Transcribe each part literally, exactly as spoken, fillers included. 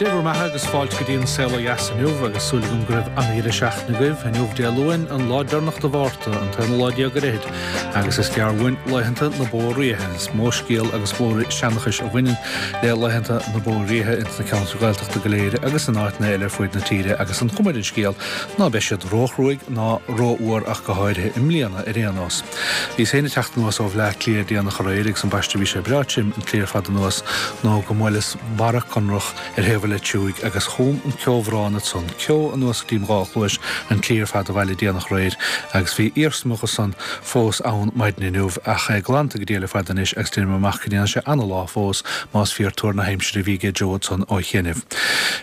Dé bhur mbeatha agus fáilte go dtí an Saol Ó Dheas inniu agus súil agam go raibh an-deireadh seachtaine agaibh inniu Dé Luain an lá deireanach de Mhárta an t-aonú lá déag ar fhichid agus is gearr uainn laethanta na Bó Ríthe is mó scéal agus mó seanchas a bhaineann le laethanta na Bó Ríthe ins na ceantair Ghaeltachta go léir agus in áiteanna eile ar fud na tíre agus an chuma ar an scéal ná beidh siad róchruaidh ná rófhuar ach go háirithe i mbliana ar aon nós. Bhíos féin ag teacht anuas ó Bhleá Cliath déanach aréir agus ambaiste bhí sé breá tirim an tslí ar fad anuas nó go mbuaileas barra conrach ar thaobh an leitriúigh agus chum an ceobhrán ansan ceo anuas go dtí mo dhá chluais an tslí ar fad abhaile déanach aréir agus bhí iarsma dhe san fós ann maidin inniu ach é glanta go diail ar fad anois agus déanaim amach go ndéanfaidh sé ana-lá fós más fíor tuar na haimsire a bhí aige Joe ansan ó chianaibh.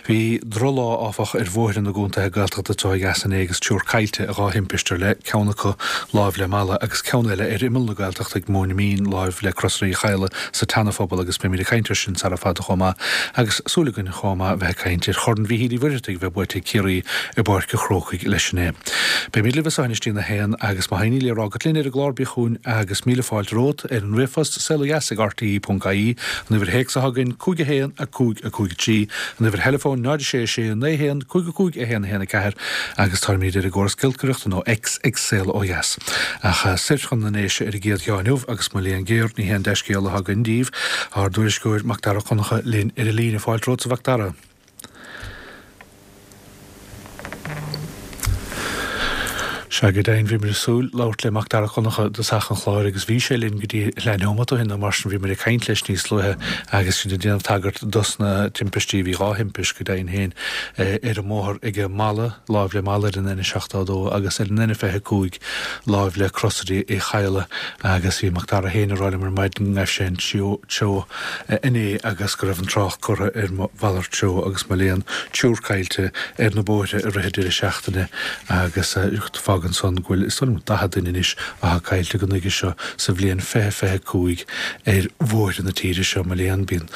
Bhí drochlá áfach ar bhóithre na gcontaetha Gaeltachta anseo ó dheas inné agus triúr caillte i dhá thimpiste ar leith, ceann acu láimh le Mala agus ceann eile ar imeall na Gaeltachta ag Móin Mín láimh le Crosaire Uí Chadhla sa tSeana-Phobal agus beimid ag caint air sin sara fada chomh maith agus súil againn chomh maith bheith ag caint ar Chorn Mhíchíl Uí Mhuircheartaigh a bheith buaite ag Ciarraí i bPáirc an Chrócaigh leis inné. Beimid libh as seo anois go dtí a haon agus má tá aon ní le rá agat linn ar an gclár bí chugainn agus míle fáilte romhat ar an ríomhphost saolodheas ag rte.ie, an uimhir théacs atá againn cúig a haon a cúig a cúig a trí, an uimhir theileafóin náid a sé a sé naoi haon cúig a cúig a haon a haon a ceathair agus táimid ar an gcóras giolcaireachta nó X ag Saol Ó Dheas. Ach soir chun na nDéise ar an gcéad cheann inniu agus mo léan géar ní haon dea-scéala atá againn daoibh, ár dtuairisceoir Macdara Ó Conchúir linn ar an líne. Fáilte romhat a Mhacdara. Sea, go deimhin, bhíomar ag súil labhairt le Macdara Ó Conchúir i dtosach an chláir agus bhí sé linn go dtí leath neomat ó shin nó mar sin bhíomar ag caint leis níos luaithe agus sinn ag déanamh tagairt dos na timpistí, bhí dhá thimpist go deimhin féin ar an mbóthar ag Mala, láimh le Mala ar an N seachtó a dó agus ar an N fiche a cúig láimh le Crosaire Uí Chadhla agus bhí Macdara féin ag rá liom ar maidin go ngaibh sé an treo inné agus go raibh an trácht curtha ar mhalairt treo agus mo léan triúr caillte ar na bóithre i rith an deireadh seachtaine agus fágann san go bhfuil is dóigh liom daichead duine anois atá caillte go nuige seo sa bhliain fiche fiche cúig ar bhóithre na tíre seo. Mo léan, bíonn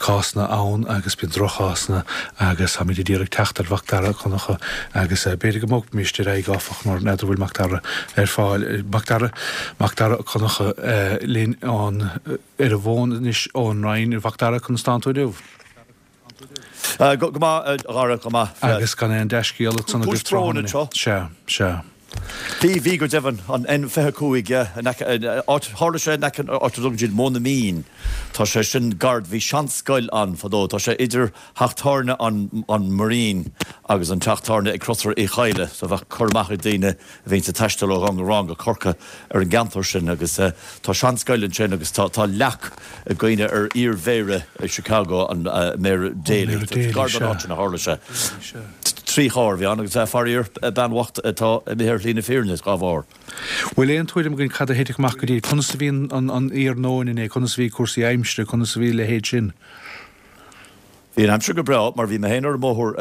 cásanna ann agus bíonn droch-chásanna agus táimid ag iarraidh teacht ar Mhacdara Ó Conchúir agus b'fhéidir go mbogfaimís ar aghaidh áfach mar n'fheadar bhfuil Macdara ar fáil. Macdara, Macdara Ó Conchúir linn an ar an bhfón anois ón Rinn. A Mhacdara, conas tánn tú inniu? Go maith, a Dhara, go maith. Agus gan aon dea-scéal ansan agaibh Cúis bróin anseo. Sea, sea. Bhí, bhí go deimhin, an N fiche cúig, in aice, áit, tharla sé in aice áit a dtugann siad Móin na Mín. Tá sé sin gar, bhí seanscoil ann fadó, tá sé idir theach tábhairne an, an Marine agus an teach tábhairne ag Crosaire Uí Chadhla, so bheadh cur amach ag daoine a bhíonns ag taisteal ó Dhún Garbhán go Corcaigh ar an gceantar sin agus tá seanscoil ansin agus tá, tá leac i gcuimhne ar iar-mhéara Chicago, an Méara Daley. Gar don áit sin a tharla sé. Trí charr a bhí ann agus faraor, bean bhocht atá imithe ar shlí na fírinne dá bharr. Bhfuil aon tuairim againn cad a thit amach go dtí, conas a bhí an iarnóin inné, conas a bhí cúrsaí aimsire, conas a bhí a leithéid sin? Bhí an aimsir go breá mar bhí mé féin ar an mbóthar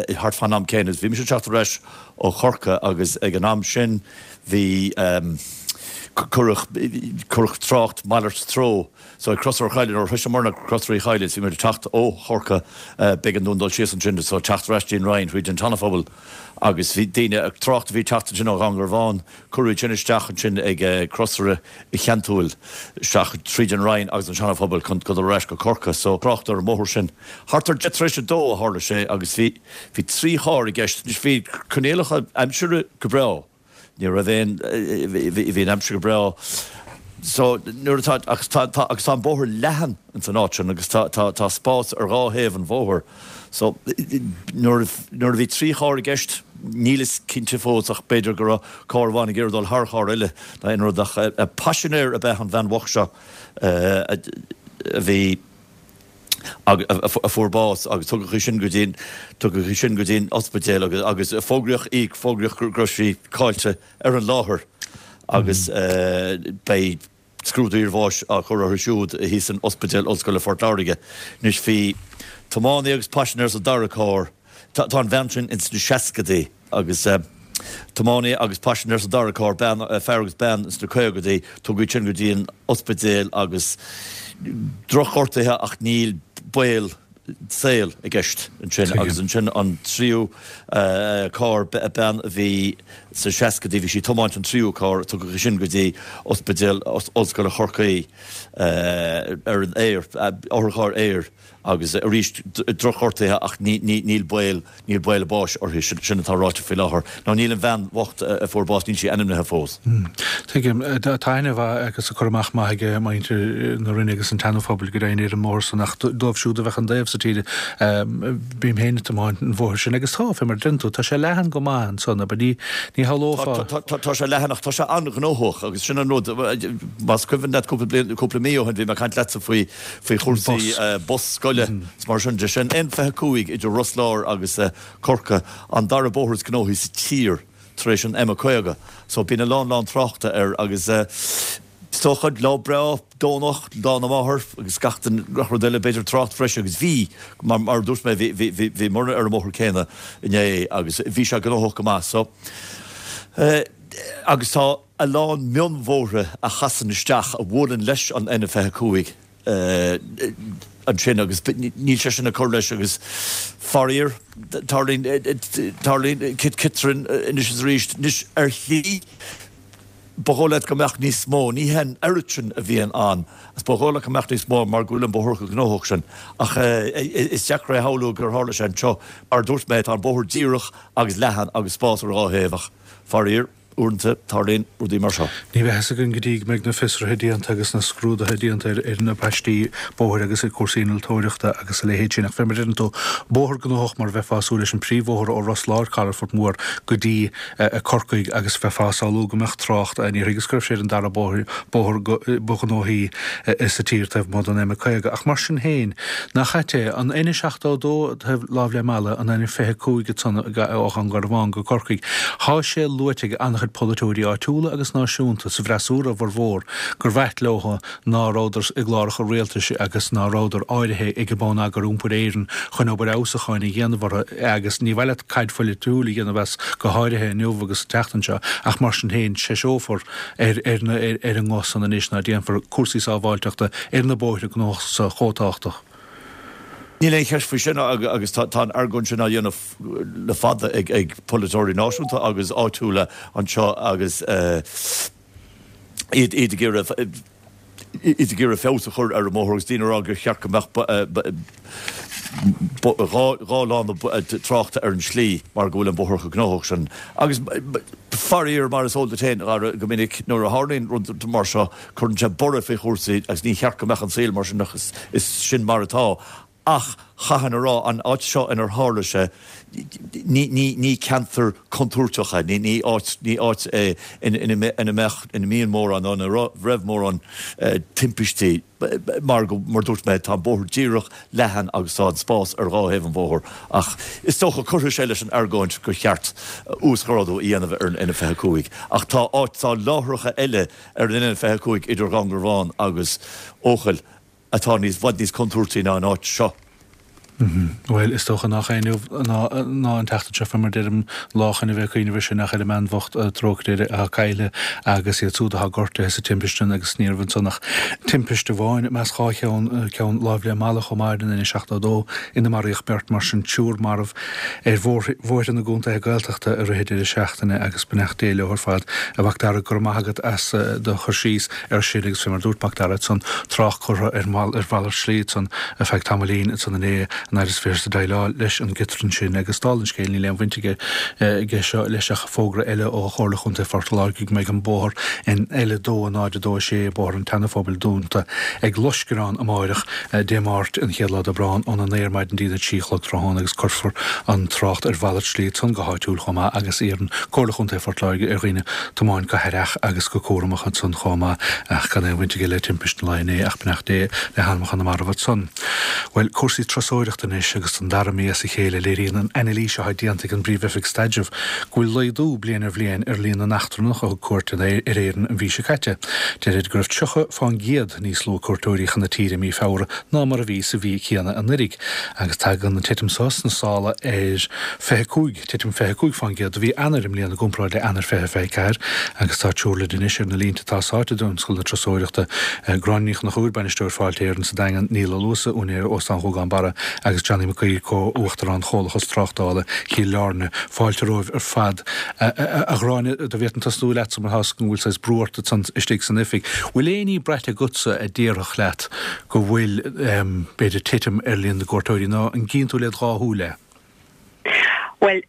thart fán am céanna agus bhí mise ag teacht ar ais ó Chorcaigh agus ag an am sin bhí, cuireadh, cuireadh trácht malairt treo so ag Crosaire Uí Chadhla nuair a shroiseamarna Crosaire Uí Chadhla is bhí muid ag teacht ó Chorcaigh b'éigean dúinn dul síos ansin so teacht ar ais dtí an Rinn thríd an tSeanaphobal agus bhí daoine, trácht a bhí ag teacht ansin ó Dhún Garbhán cuireadh iad sin isteach ansin ag Crosaire Uí Chionntúil isteach tríd an Rinn agus an Seanaphobal chun dul ar ais go Corcaigh so trácht ar an mbóthar sin. Thart ar deich tar éis a dó a tharla sé agus bhí, bhí trí charr i gceist. Anois bhí coinníollacha aimsire go breá. Ní raibh aon, bhí an aimsir go breá. So nuair atá, agus tá, tá, agus tá an bóthar leathan ins an áit sin agus tá, tá, tá spás ar dhá thaobh an bhóthair. So nuair, nuair a bhí trí charr i gceist, níl fhios cinnte fós ach b'fhéidir go raibh carr amháin ag iarraidh dul thar charr eile nó aon rud ach paisinéir ab ea an bhean bhocht seo a bhí, a fuair bás agus tugadh í sin go dtí an, tugadh í sin go dtí an ospidéal agus, agus fógraíodh í, fógraíodh go raibh sí caillte ar an láthair agus beidh scrúdú iarbháis á chur uirthi siúd thíos in Ospidéal Ollscoile Phort Láirge. Anois bhí tiománaí agus paisinéir sa dara carr. Tá an bhean sin ins na seascadaí agus tiománaí agus paisinéir sa dara carr, bean, fear agus bean ins na caogadaí, tugadh iad sin go dtí an ospidéal agus drochghortuithe ach níl baol saoil i gceist ansin. Agus ansin an tríú carr, bean a bhí sna seascadaí, bhí sí ag tiomáint an tríú carr, tugadh í sin go dtí Ospidéal Ollscoile Chorcaí ar an aer, otharcharr aeir. Agus arís, drochghortuithe ach níl baol, níl baol a báis uirthi, sin atá ráite faoi láthair. Nó níl an bhean bhocht a fuair bás, níl sí ainmnithe fós. Tuigim. Tá aithne mhaith agus cur amach maith ag muintir na Rinne agus an tSeana-Phobail go deimhin ar an mbóthar san ach dóibh siúd a bheadh an taobh sa tír, bím féin ag tiomáint an bhóthair sin agus tá, fé mar a deireann tú, tá sé leathan go maith ansan, abair, ní, ní shamhlófá. Tá sé leathan ach tá sé an-ghnóthach agus sin an rud, más cuimhin leat cúpla bliain, cúpla mí ó shin bhí mé ag caint leatsa faoi, faoi chúrsaí bus scoile is mar sin de. Sé an N fiche cúig idir Ros Láir agus Corcaigh an dara bóthar is gnóthaí sa tír tar éis an M caoga. So bíonn a lán lán tráchta air agus is dócha lá breá Domhnach, Lá na Máthar agus gach gach rud eile b'fhéidir trácht bhreise agus bhí mar mar a dúirt mé bhí bhí bhíomar ar an mbóthar céanna inné agus bhí sé gnóthach go maith. So agus tá a lán mionbhóithre a chasann isteach a bhuaileann leis an N fiche cúig. ansin agus níl sé sin ag cur leis agus faraor tarlaíonn tarlaíonn ciotrainn anois is arís anois ar shlí ba dhóigh leat go mbeadh níos mó ní hé an oiread sin a bhíonn ann agus ba dhóigh leat go mbeadh níos mó mar go bhfuil an bóthar chomh gnóthach sin ach is deacair é a shamhlú gur tharla sé anseo mar a dúirt mé tá an bóthar díreach agus leathan agus spás ar a dhá thaobh ach faraor Uaireanta, tarlaíonn rudaí mar seo. Ní bheidh a fhios againn go dtí go mbeidh na fiosruithe déanta agus na scrúduithe déanta ar na paistí bóthair agus ar chúrsaí innealtóireachta agus a leithéid sin. Ach fé mar a deireann tú, bóthar gnóthach mar a bheifeá ag súil leis an príomhbhóthar ó Ros Láir, Calafort Mór, go dtí Corcaigh agus bheifeá ag samhlú go mbeadh trácht ann. Níor thuigeas go raibh sé ar an dara bóthar ba ghnóthaí sa tír taobh amuigh den M caoga. Ach mar sin féin, nach ait é, an N seachtó a dó taobh láimh le Mala, an N fiche cúig ansan ó Dhún Garbhán go Corcaigh, thá sé luaite ag an-chuid polaiteoirí áitiúla agus náisiúnta, sa bhfreasúra a bhformhór, gur mhaith leo ná rabhadar i gcláracha rialtais agus ná rabhadar áirithe ag Bonneagar Iompair Éireann chun obair fheabhsúcháin a dhéanamh orthu agus ní mhaith leat caid pholaitiúil a dhéanamh as go háirithe inniu agus an tseachtain seo ach mar sin féin treiseofar ar ar an nguth san anois ná déanfar cúrsaí sábháilteachta ar na bóithre gnóthacha so chomh tábhachtach. Níl aon cheist faoi sin agus tá an argóint sin á dhéanamh le fada ag polaiteoirí náisiúnta agus áitiúla anseo agus iad ag iarraidh iad ag iarraidh feabhas a chur ar an mbóthar agus daoine ag rá gur cheart go mbeadh dhá lána tráchta ar an slí mar go bhfuil an bóthar chomh gnóthach sin. Agus faraor, mar is eol duit féin, a Dhara, go minic nuair a tharlaíonn rud mar seo cuireann sé borradh faoi chúrsaí agus ní cheart go mbeadh an saol mar sin ach is sin mar atá. Ach chaithfinn a rá, an áit seo inar tharla sé, ní, ní, ní ceantar contúirteach é, ní, ní áit, ní áit é ina, ina mbeadh, ina mbíonn mórán nó ina raibh mórán timpistí mar go, mar dúirt mé, tá an bóthar díreach, leathan agus tá an spás ar dhá thaobh an bhóthair. Ach is dócha, cuirfidh sé leis an argóint gur cheart uasghrádú a dhéanamh ar an N fiche cúig. Ach tá áit, tá láithreacha eile ar an N fiche cúig idir Dhún Garbhán agus Eochaill, atá níos, bhfad níos contúirtí ná an áit seo. Bhuel, is dócha nach é inniu ná an tseachtain seo, fé mar deirim, lá chun a bheith ag cuimhneamh air sin, ach ar an mbean bhocht, trócaire air, atá caillte agus iad súd atá gortaithe sa timpiste sin agus ní raibh ansan ach timpiste amháin, meas dhá cheann, ceann láimh le Mala chomh maith ar an N seachtó a dó ina maraíodh beirt, mar sin triúr marbh ar bhóithre na gcontaetha Gaeltachta i rith an deireadh seachtaine agus beannacht Dé leo ar fad. A Mhac Dara, go raibh maith agat as do chur síos air sin agus fé mar dúirt Mac Dara ansan, trácht curtha ar mhalairt slí ansan ar feadh tamaillín ansan inné an fhaid is a bheifear ag déileáil leis an gciotrán sin agus dála an scéil níl aon bhaint aige seo leis ach fógra eile ó Chomhairle Chontae Phort Láirge go mbeidh an bóthar N L a dó a náid a dó a sé, Bóthar an tSeana-Phobail dúnta ag loiscreán amáireach, Dé Máirt an chéad lá d'Aibreán, óna naoi ar maidin dtí'n a trí a chlog tráthnóna agus cuirfear an trácht ar mhalairt slí ansan go háitiúil chomh maith agus iarrann Comhairle Chontae Phort Láirge ar dhaoine tiomáint go haireach agus go cúramach ansan chomh maith ach gan aon bhaint aige le timpiste an lae inné ach beannacht Dé le hanamacha na marbh ansan. Bhuel, cúrsaí turasóireachta anois agus don dara mí as a chéile léiríonn an anailís atá déanta ag an bPríomh-Oifig Staidrimh go bhfuil laghdú bliain ar bhliain ar líon na n-eachtrannach a thug cuairt ar Éirinn an mhí seo caite. Deirid go raibh tríocha fán gcéad níos lú cuairteoirí chun na tíre i mí Feabhra ná mar a bhí sa mhí chéanna anuraidh agus tagann an titim seo sna sála ar fiche cúig titim fiche cúig fán gcéad do mhí Eanáir i mbliana i gcomparáid le Eanáir fiche fiche ceathair agus tá triúr linn anois ar na línte atá sáite i dtionscal na turasóireachta, Gráinne Ní Chonchúir, Bainisteoir Fáilte Éireann sa Daingean, Niall Ó Luasa, úinéir Óstán Ghúgán Barra agus Johnny Mac Uidhir, Comh-Uachtarán Chomhlachas Tráchtála Chill Airne. Fáilte romhaibh ar fad. A Ghráinne, dá bhféadfainn tosnú leatsa mar tá 'fhios agam go bhfuil saghas brú ort ansan istigh san oifig. Bhfuil aon ní braite agatsa a déarfadh leat go bhfuil, b'fhéidir, titim ar líon na gcuairteoirí nó an gcíonn tú led dhá shúil é? Bhuel,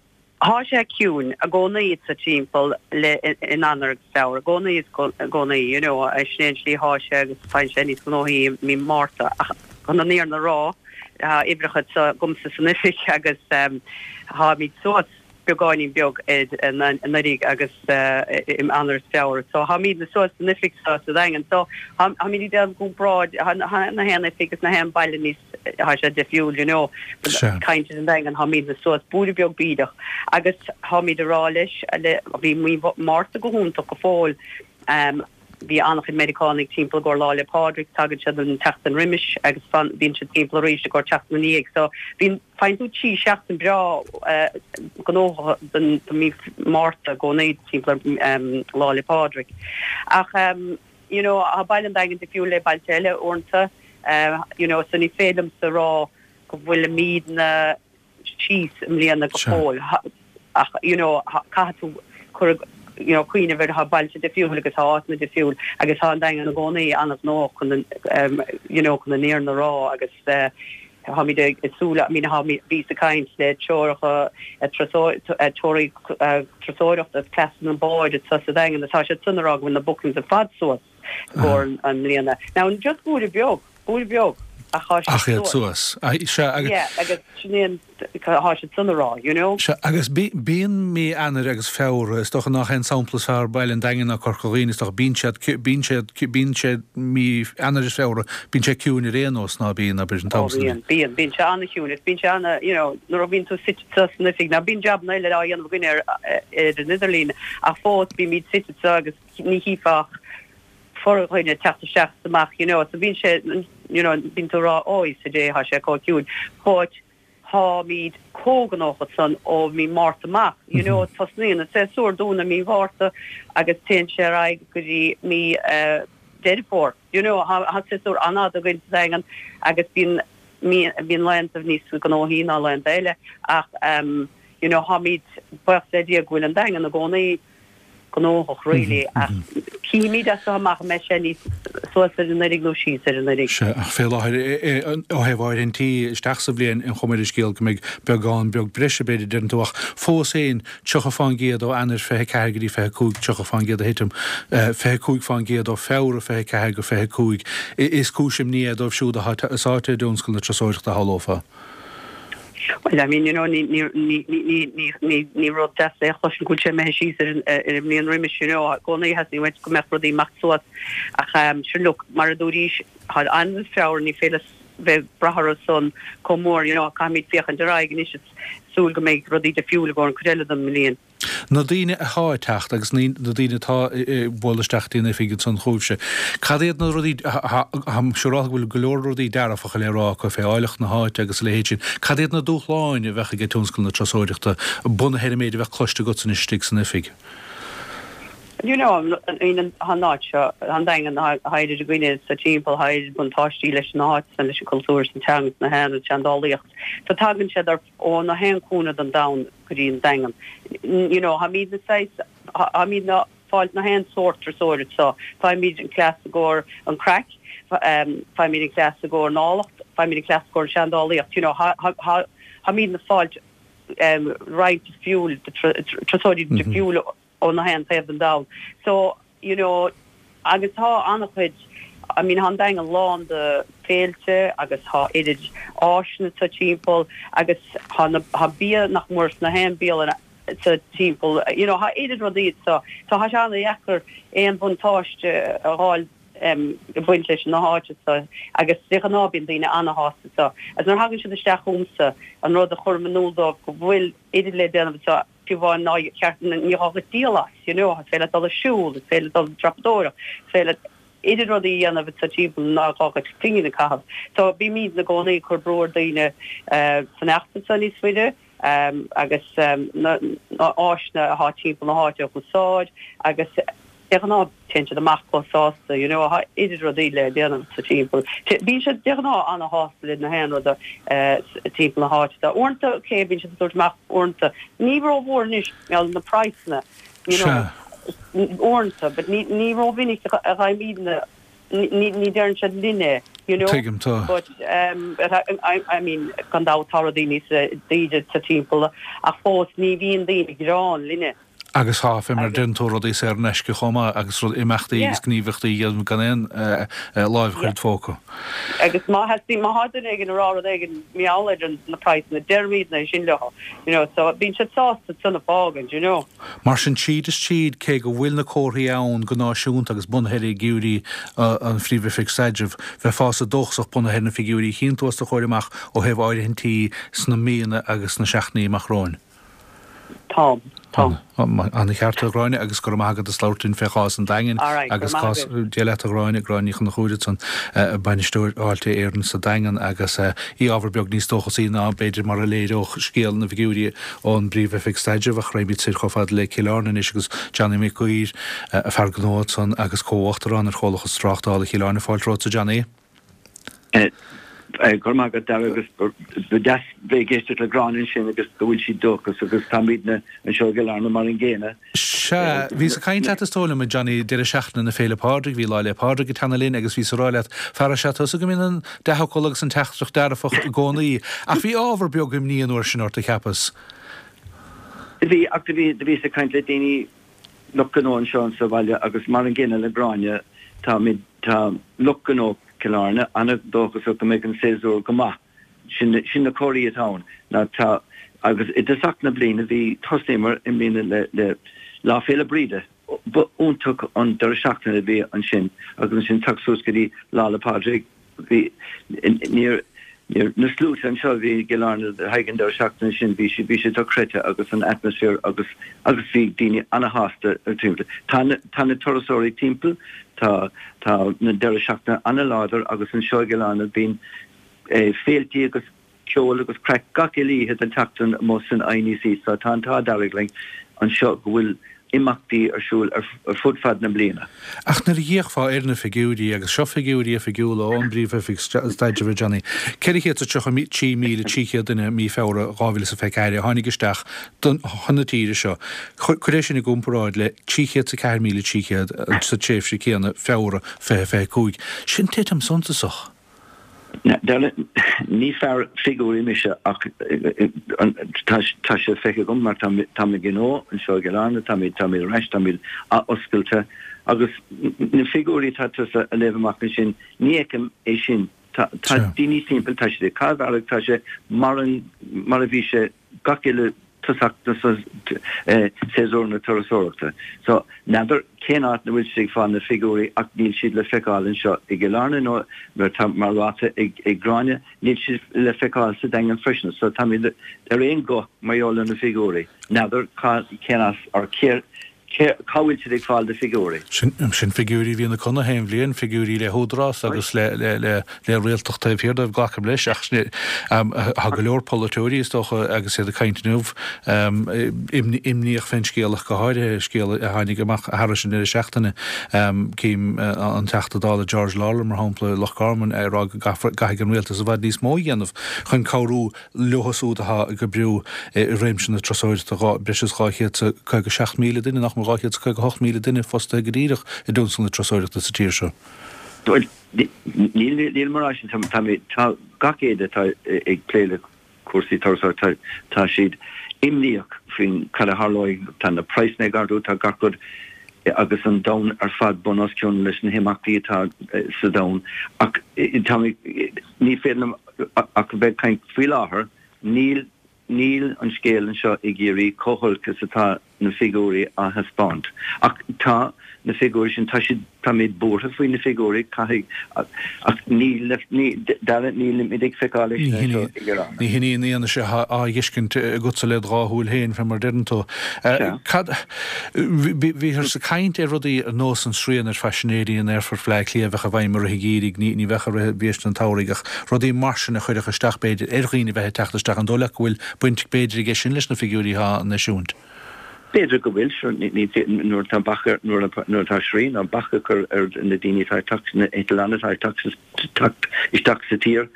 thá sé ciúin i gcónaí sa timpeall le in Eanáir agus Feabhra, i gcónaí is i gcónaí, you know, sin é an tslí thá sé agus faigheann sé níos gnóthaí i mí Márta. Ach chun an fhírinne a rá, tá uimhreacha anseo agamsa san oifig agus tháimid suas beagáinín beag anuraidh agus in Eanáir is Feabhra. So tháimidne suas san oifig seo sa Daingean. So tháimid ag déanamh comparáid, tá na haon oifig is na haon baile níos, tá sé difriúil, you know. Sea. Caint ar an Daingean, tháimidne suas bualadh beag bídeach agus tháimid ag rá leis, le, bhí mí Márta go hiontach go fóill. Bhí an-chuid Meiriceánaigh timpeall i gcomhair Lá 'le Pádraig, tagann siad an tseachtain roimis agus fan, bíonn siad timpeall arís i gcomhair tseachtain ina dhiaidh. So bíonn, faigheann tú trí sheachtain breá gnóthach don, do mí Márta i gcónaí timpeall ar Lá 'le Pádraig. Ach you know, tá baile an Daingin difriúil le bailte eile uaireanta, you know, so ní féidir liomsa rá go bhfuilimidne síos i mbliana go fóill ach you know caithfidh tú cur you know cuimhneamh ar thá bailte difriúil agus thá áiteanna difriúil agus thá an Daingean i gcónaí an-ghnóthach chun an um, you know chun an fhírinne a rá agus uh, tháimid ag súil I mean tháimid bhíos ag caint le treoracha treoraí turasóireachta is cleasanna báid sa sa Daingean atá siad san ag rá go bhfuil na bookings ar fad suas i gcomhair an mbliana. Now just bualadh beag, bualadh beag ach thá siad Ach iad suas. Sea, agus. Yeah, agus sin é an, thá siad san ag rá, you know. Sea, agus bíonn mí Eanáir agus Feabhra, is dócha nach é an sampla is fearr Baile an Daingin ná Corca Dhuibhne, is dócha, bíonn siad, bíonn siad, bíonn sé mí Eanáir is Feabhra, bíonn sé ciúin ar aon nós, ná bíonn, abair, an t-am Ó bíonn, bíonn, bíonn sé an-chiúin, is bíonn sé ana, you know, nuair a bhíonn tú suite sa san oifig, now bíonn jabanna eile á dhéanamh againn ar, ar an idirlíon, ach fós bímid suite sa agus ní chífeá ach fordhuine ag teacht isteach is amach, you know, so bíonn sé, you know, bíonn tú ag rá, ó, Íosa Dé, thá sé chomh ciúin, but tháimid chomh gnóthach san ó mí Márta amach, you know, tosnaíonn an séasúr dúinn i mí Mhárta agus téann sé ar aghaidh go dtí mí Deireadh Fómhair, you know, thá séasúr an-fhada againn sa Daingean agus bíonn mí, bíonn laethanta níos gnóthaí ná laethanta eile ach, you know, tháimid, buíochas le Dia go bhfuil an Daingean i gcónaí gnóthach really ach cífimid as seo amach an mbeidh sé níos suas ar an uilig nó síos ar an uilig. Sea, ach fé láthair, ó thaobh áirithintí isteach sa bhliain, an chuma ar an scéal go mbeidh beagán beag breise, b'fhéidir, deireann tú, ach fós féin, tríocha fán gcéad ó Eanáir fiche ceathair go dtí fiche cúig, tríocha fán gcéad a thitim, fiche cúig fán gcéad ó Feabhra fiche ceathair go fiche cúig. Is cúis imní é dóibh siúd atá sáite i dtionscal na turasóireachta, shamhlófá. Well, I mean, you know, ní, ní, ní, ní, ní, ní, ní rud deas é a chloisint go bhfuil sé imithe síos ar an, ar an mbliain roimis, you know, i gcónaí theastaigh uait go mbeadh rudaí imeacht suas ach um, sure look, mar a dúraís, tá Eanáir is Feabhra, ní féidir bheith ag brath orthu san chomh mór, you know, caithfimid féachaint ar aghaidh anois is súil go mbeidh rudaí difriúil i gcomhair an chuid eile den mbliain. Na daoine athá ag teacht agus na daoine atá ag bualadh isteach dtí an oifig ansan chugaibhse, cad iad na rudaí, táim siúrálta go bhfuil go leor rudaí dearfacha le rá acu fé áilleacht na háite agus a leithéid sin, cad iad na dúshláin a bheadh ag tionscal na turasóireachta bunaithe ar an méid a bheadh cloiste agatsa anois istigh san oifig? You know, tá an áit seo, tá an Daingean, tá oiread againne sa timpeall, tá oiread buntáistí leis an áit san, leis an cultúr, is an teanga, is na haon, an tseandálaíocht. So tagann siad ar, ó na haon cúinne den domhan go dtí an Daingean. You know, tháimidne saghas, tháimidne ag fáilt na haon sórt turasóir so faighimid an cleas i gcomhair an craic, faighimid an cleas i gcomhair an áilleacht, faighimid an cleas i gcomhair an seandálaíocht, you know, tháimidne ag fáilt roinnt difriúil, turasóirí difriúla ó na haon taobh den domhan. So, you know, agus tá an-chuid, I mean, tá an Daingean lán de féilte agus tá oiread áiseanna sa timpeall agus tá na, tá bia nach mór sna haon bialanna sa timpeall, you know, tá oiread rudaí so, so tá sé an-dheacair aon bhuntáiste a fháil em ag baint leis na háite so agus de ghnáth bíonn daoine an-shásta so. Agus nuair a thagann siad isteach chugamsa, an rud a chuirim in iúl dóibh go bhfuil oiread le déanamh so, fiú amháin ná ceart ní gá duit díol as, you know, is féidir leat dul ag siúl, is féidir leat dul ag dreapadóireacht, is féidir leat oiread rudaí a dhéanamh sa timpeall ná gá duit pingin a chaitheamh. So bímid i gcónaí ag cur brú ar daoine fanacht anso níos faide agus na áiseanna atá timpeall na háite a úsáid agus De ghnáth téann siad amach chomh sásta, you know, tá idir rudaí le déanamh sa timpeall. Bíonn siad de ghnáth ana-shásta le na haon ruda timpeall na háite. Uaireanta, ok, bíonn siad ag tabhairt amach uaireanta. Ní rómhór anois, mar na praghsanna, you know, uaireanta, but ní ní rómhinic a gheibhimidne, ní ní deireann siad linn é, you know. Tuigim, tá. But um, I, I mean, gan dabht tá rudaí níos daoire sa timpeall, ach fós ní bhíonn daoine ag gearán linne. Agus tá, fé mar a deireann tú, rudaí saor in aisce chomh maith agus rud imeachtaí agus gníomhaíochtaí a dhéanamh gan aon láimh a chur id phóca. Agus má theastaíonn, má tá duine éigin ag rá rud éigin mar gheall ar na praghsanna, deirimidne é sin leo, you know, so bíonn siad sásta san a fhágaint, you know. Mar sin tríd is tríd, cé go bhfuil na comharthaí ann go náisiúnta agus bunaithe ar fhigiúirí an Phríomh-Oifig Staidrimh, bheifeása dóchasach bunaithe ar na figiúirí a chíonn tú os do chomhair amach ó thaobh áirithintí sna míonna agus sna seachtainí amach romhainn. Tá, tá. Ana-cheart, a Ghráinne, agus go raibh maith agat as labhairt linn fé chás an Daingin agus cás Dia leat a Ghráinne, Gráinne Ní Chonchúir ansan, Bainisteoir Fháilte Éireann sa Daingean agus í ábhar beag níos dóchasaí ná b'fhéidir mar a léireodh scéal na bhfigiúirí ón bPríomh-Oifig Staidrimh ach raghaimid soir chomh fada le Cill Airne anois agus Johnny Mac Uidhir, fear gnó ansan agus comh-uachtarán ar Chomhlachas Tráchtála Chill Airne. Fáilte romhatsa Johnny. Go raibh maith agat Dara agus ba deas bheith ag éisteacht le Gráinne ansin agus go bhfuil sí dóchasach agus táimidne anseo i gCill Airne mar an gcéanna. Sea, bhíos ag caint leat is dóigh liom, a Johnny, deireadh seachtaine na Féile Pádraig, bhí Lá 'le Pádraig ag teannadh linn agus bhíos ag rá leat, fear is ea tusa go mbíonn an dea-fhocal agus an teachtaireacht dearfach i gcónaí, ach bhí ábhar beag imní an uair sin ort, a cheapas. Do bhí, ach do bhí, do bhíos ag caint le daoine, lucht gnó anseo sa bhaile agus mar an gcéanna le Gráinne, táimid, tá lucht gnó Chill Airne an-dóchasach go mbeidh an séasúr go maith. Sin, sin na comharthaí atá ann. Ná tá, agus i dtosach na bliana bhí, thosnaíomar i mbliana le, le Lá Féile Bríde. Ba iontach an deireadh seachtaine a bhí ansin agus ansin teacht suas go dtí Lá 'le Pádraig, bhí, níor, níor, na sluaite anseo a bhí i gCill Airne le haghaidh an deireadh seachtaine sin, bhí sé, bhí sé dochreidte agus an atmaisféar agus, agus bhí daoine ana-shásta timpeall. Tá na, tá na turasóirí timpeall, tá, tá na deireadh seachtaine ana-láidir agus anseo i gCill Airne bíonn féiltí agus ceol agus craic gach uile oíche den tseachtain amuigh san INEC so tá an t-ádh dearg linn anseo go bhfuil imeachtaí ar siúl ar fud fad na bliana. Ach nuair a d'fhéachfá ar na figiúirí, agus seo figiúirí oifigiúla ón bPríomh-Oifig Staidrimh, a Johnny, ceithre chéad is tríocha trí míle trí chéad duine i mí Feabhra dhá mhíle is a fiche ceathair a tháinig isteach chun na tíre seo. Cuir é sin i gcomparáid le trí chéad is a ceathair míle trí chéad sa tréimhse chéanna, Feabhra fiche fiche cúig. Sin titim suntasach. Ní fear figiúirí mise ach tá sé feicthe agam mar tá mo ghnó anseo i gCill Airne, táimid ar ais, táimid athoscailte agus na figiúirí atá tusa a léamh amach ansin, ní fheicim é sin. Tá daoine timpeall, tá siad ag caitheamh airgid, tá sé mar a bhí sé gach uile tosach na séasúr na turasóireachta. So, n'fheadar cén áit 'na bhfuil siad ag fáil na figiúirí ach níl siad le feiceáil anseo i gCill Airne nó mar tá mar ráite ag ag Gráinne, níl siad le feiceáil sa Daingean freisin. So táimid ar aon ghuth mar gheall ar na figiúirí. N'fheadar cá cén as or cé cé cá bhfuil siad ag fáil na figiúirí. Sin sin figiúirí a bhíonn ag conradh aon bhliain, figiúirí le húdarás agus le le le le rialtacht taobh thiar dóibh, glacaim leis, ach tá go leor polaiteoirí, is dócha, agus iad ag caint inniu, imníoch fén scéal ach go háirithe, scéal a tháinig amach thairis an deireadh seachtaine, cím an Teachta Dála George Lawlor, mar shampla, Loch Garman, ag rá go gcaithfidh an rialtas i bhfad níos mó a dhéanamh chun cabhrú leo siúd atá ag oibriú i réimse na turasóireachta, breis is dhá chéad is caoga seacht míle duine, nach mór dhá chéad is caoga hocht míle duine fostaithe go díreach i dtionscal na turasóireachta sa tír seo. Bhuel, níl, níl mar sin, tá, tá gach éinne atá ag plé le cúrsaí turasóireachta, tá siad imníoch faoin cad a tharlóidh, tá na praghsanna ag ardú, tá gach rud agus an domhan ar fad bun os cionn leis na himeachtaí atá sa domhan ach tá mé, ní féidir liom ach a bheith ag caint faoi láthair, níl, níl an scéal anseo i gCiarraí chomh holc is atá na figiúirí á thaispeáint. Ach tá na figiúirí sin, tá siad, táimid buartha faoi na figiúirí, caithfidh, ach níl, ní, Dara, nílimid ag feiceáil é sin anseo i gCill Airne. Ní hin í an fhianaise atá á fheiscint agatsa led dhá shúil féin, fé mar a deireann tú. Cad, bhíothas ag caint ar rudaí ar nós an srian ar phaisinéirí in Aerfort Bhaile Átha Cliath a bheadh i bhfeidhm i rith an gheimhridh, ní, ní bheadh i rith bhiaiste an tsamhraidh ach rudaí mar sin a chuirfeadh isteach b'fhéidir ar dhaoine bheith ag teacht isteach. An dóigh leat go bhfuil baint b'fhéidir aige sin leis na figiúirí atá á n-eisiúint? B'fhéidir go bhfuil, sure, nuair atá bac ar, nuair atá srian nó bac á chur ar na daoine atá ag teacht, na eitleáin atá ag teacht isteach sa tír,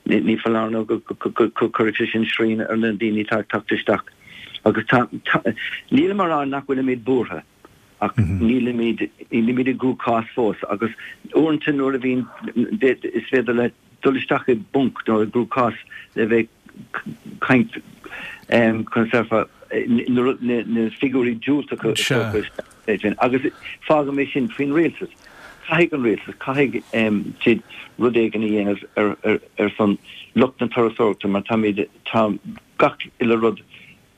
ní foláir nó go gcuirfidh sé sin srian ar na daoine atá ag teacht isteach. Agus tá, nílim á rá nach bhfuilimid buartha, ach nílimid, nílimid i gcruachás fós agus uaireanta nuair a bhíonn, is féidir leat dul isteach i bponc nó i gcruachás le bheith caint conas na figiúirí diúltacha agus fágaim é sin faoin rialtas. Caithfidh an rialtas, caithfidh siad rud éigin a dhéanamh ar son lucht na turasóireachta mar táimid, tá gach uile rud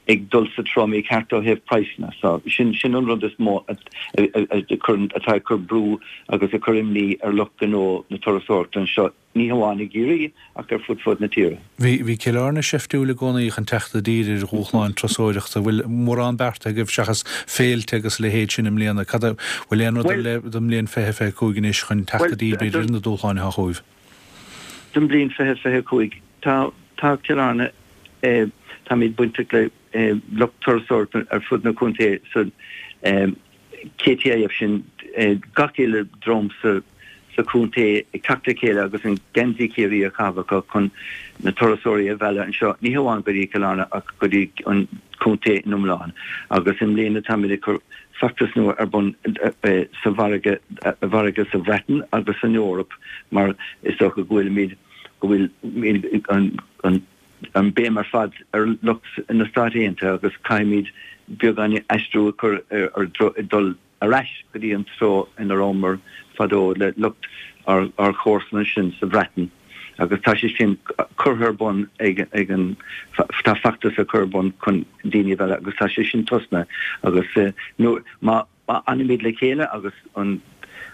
ag dul sa treo mícheart ó thaobh praghsanna. So sin sin an rud is mó atá ag cur brú agus ag cur imní ar lucht gnó na turasóireachta anseo. ní hamháin i gCiarraí ach ar fud fud na tíre. Bhí bhí Cill Airne seiftiúil i gcónaí chun teacht i dtír ar dhúshláin turasóireachta. Bhfuil mórán beartaithe agaibh seachas féilte agus a leithéid sin i mbliana? Cad a, bhfuil aon rud ar leith don mbliain fiche fiche cúig anois chun teacht i dtír b'fhéidir ar na dúshláin atá chugaibh? Don mbliain fiche fiche cúig tá tá Cill Airne eh, táimid bainteach le eh, lucht turasóireachta ar fud na contae so eh, KTIF sin eh, gach uile dream sa sa chontae ag teacht le chéile agus an geansaí Ciarraí á chaitheamh acu chun na turasóirí a mhealladh anseo, ní hamháin go dtí Cill Airne ach go dtí an contae in iomlán. Agus i mbliana táimid ag cur feachtas nua ar bun sa mhargadh mhargadh sa Bhreatain agus san Eoraip mar is dócha go bhfuilimid go bhfuil an an an béim ar fad ar lucht na Stát Aontaithe agus caithfimid beagán aistriú a chur ar dul ar ais go dtí an treo ina rabhamar fadó le lucht ár gcomharsan ansin sa Bhreatain agus tá sé sin curtha ar bun ag ag an tá feachtas á chur ar bun chun daoine a mhealladh agus tá sé sin tosnaithe agus nó má má fhanaimid le chéile agus an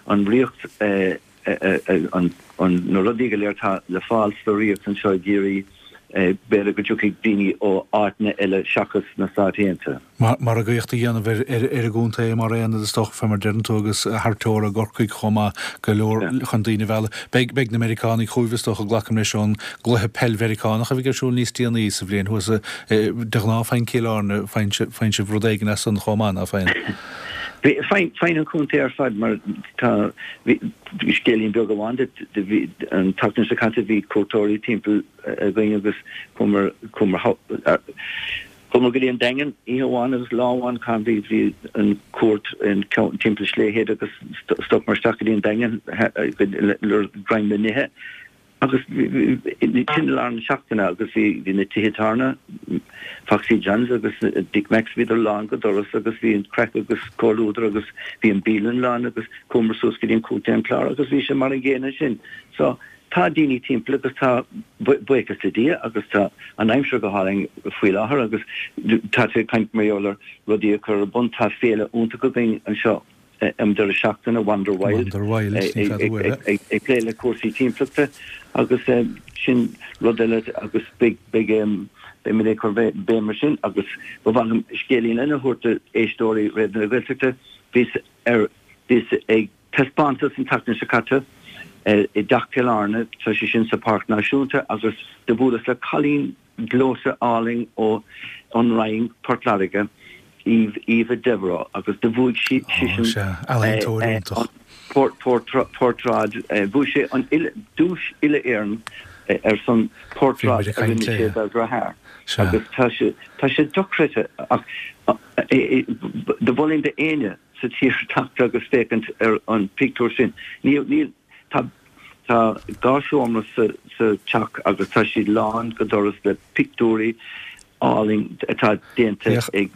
an ríocht an an na rudaí go léir atá le fáil sa ríocht anseo i gCiarraí b'fhéidir go dtiocfaidh daoine ó áiteanna eile seachas na Stáit Aontaithe. Margaíocht a dhéanamh ar ar an gcontae mar aonad is dócha, fé mar deireann tú, agus thar teora i gCorcaigh chomh maith, go leor chun daoine a mhealladh. Beidh beidh na Meiriceánaigh chugaibh is dócha, glacaim leis ón gcluiche peil Mheiriceánach a bheidh ar siúl níos déanaí sa bhliain thuas. De ghnáth faigheann Cill Airne, faigheann sibh rud éigin as san chomh maith, ná faigheann? Faigheann an contae ar fad mar tá scéilín beag amháin duit, bhí an tseachtain seo caite bhí cuairteoirí timpeall againn agus chuamar chuamar chuamar go dtí an Daingean oíche amháin agus lá amháin chan bhí bhí an cuairt timpeall Slea Head agus stopamar isteach go dtí an Daingean le greim le n-ithe. Agus sin i lár na seachtaine agus bhí bhí na tithe tábhairne, Foxy John's agus Dick Mack's, bhíodar lán go doras agus bhí an craic agus comhluadar agus bhí an bialann lán agus chuamar suas go dtí an Contae an Clár agus bhí sé mar an gcéanna sin. So tá daoine timpeall agus tá buíochas le Dia agus tá an aimsir go hálainn faoi láthair agus tá tú ag caint mar gheall ar rudaí a chur ar bun, tá féile iontach againn anseo. um deireadh seachtaine, Wander Wild, ag plé le cúrsaí timpeallachta agus sin rud eile agus beidh beimid ag cur béim ar sin agus ba mhaith liom scéilín eile a thabhairt d'éisteoirí Raidió na Gaeltachta. Bhíos ar bhíos ag taispeántas an tseachtain seo caite i dTeach Chill Airne, tá sé sin sa Pháirc Náisiúnta agus do bhuaileas le cailín gleoite álainn ó An Rinn, Port Láirge, Eve, Eva Devereux, agus do bhuaigh sí sisean an portráid, bhuaigh sé an duais uile-Éireann ar son portráid a rinne sé dá deartháir. Agus tá sé, tá sé dochreidte ach do mholfainn d'éinne sa tír teacht agus féachaint ar an pictiúr sin. Níl, níl, tá. Tá dhá sheomra sa teach agus tá siad lán go doras le pictiúirí álainn atá déanta ag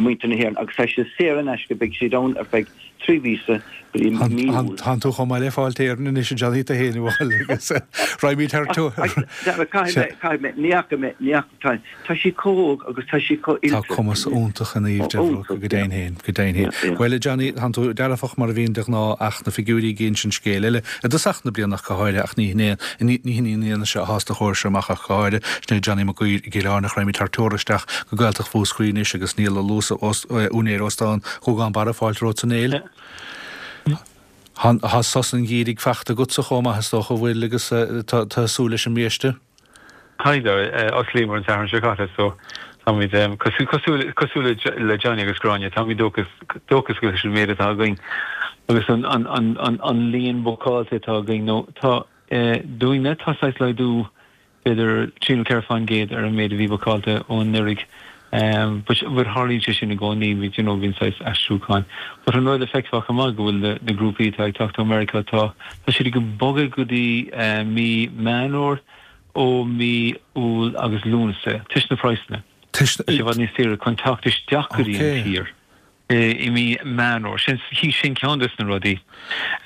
muintir na hÉireann agus tá siad saor in aisce, beidh siad ann ar feadh trí mhíosa go dtí mí Iúil. Tánn tú chomh maith le Fáilte Éireann anois a Johnny tú féin a bhuail agus raghaimid thar Caithfidh mé, caithfidh mé, ní fhaca mé, ní fhaca, tá sí chomh hóg agus tá sí chomh oilte. Tá cumas iontach in Eve Devereux, go deimhin féin, go deimhin féin. Bhuel, a Johnny, tánn tú dearfach mar a bhíonn de ghnáth ach na figiúirí ag insint scéil eile, i dtosach na bliana ach go háirithe, ach ní hin é, ní hin í an fhianaise a thá os do chomhair amach ach go háirithe. Sin é Johnny Mac Guidhir i gCill Airne. Raghaimid thar teora isteach go Gaeltacht Mhúscraí anois agus Niall Ó Luasa, úinéir Óstán Ghúgán Barra, fáilte romhat a Néill. Tá sos an gheimhridh fachta agatsa chomh maith is dócha, an bhfuil, agus tá súil leis an mbiaiste? Tá, osclaíomar an Satharn seo caite so Táimid cosúil cosúil cosúil le Johnny agus Gráinne, táimid dóchasach leis an méid atá againn agus an an an an an líon bookáilte atá againn nó tá dúinne tá saghas laghdú b'fhéidir trí nó ceithre faoin gcéad ar an méid a bhí bookáilte ó anuraidh. Um, but but tharlaíonn sé sin i gcónaí you know bíonn saghas aistriúcháin. But an rud a feicfeá chomh maith go bhfuil na, na grúpaí atá ag teacht ó America tá tá siad ag bogadh go dtí uh, mí Meán Fómhair ó mí Iúil agus Lúnasa toisc na praghsanna. Tá sé i bhfad níos saoire chun teacht isteach go dtí an tír i mí Meán Fómhair. Sin sin ceann de na rudaí.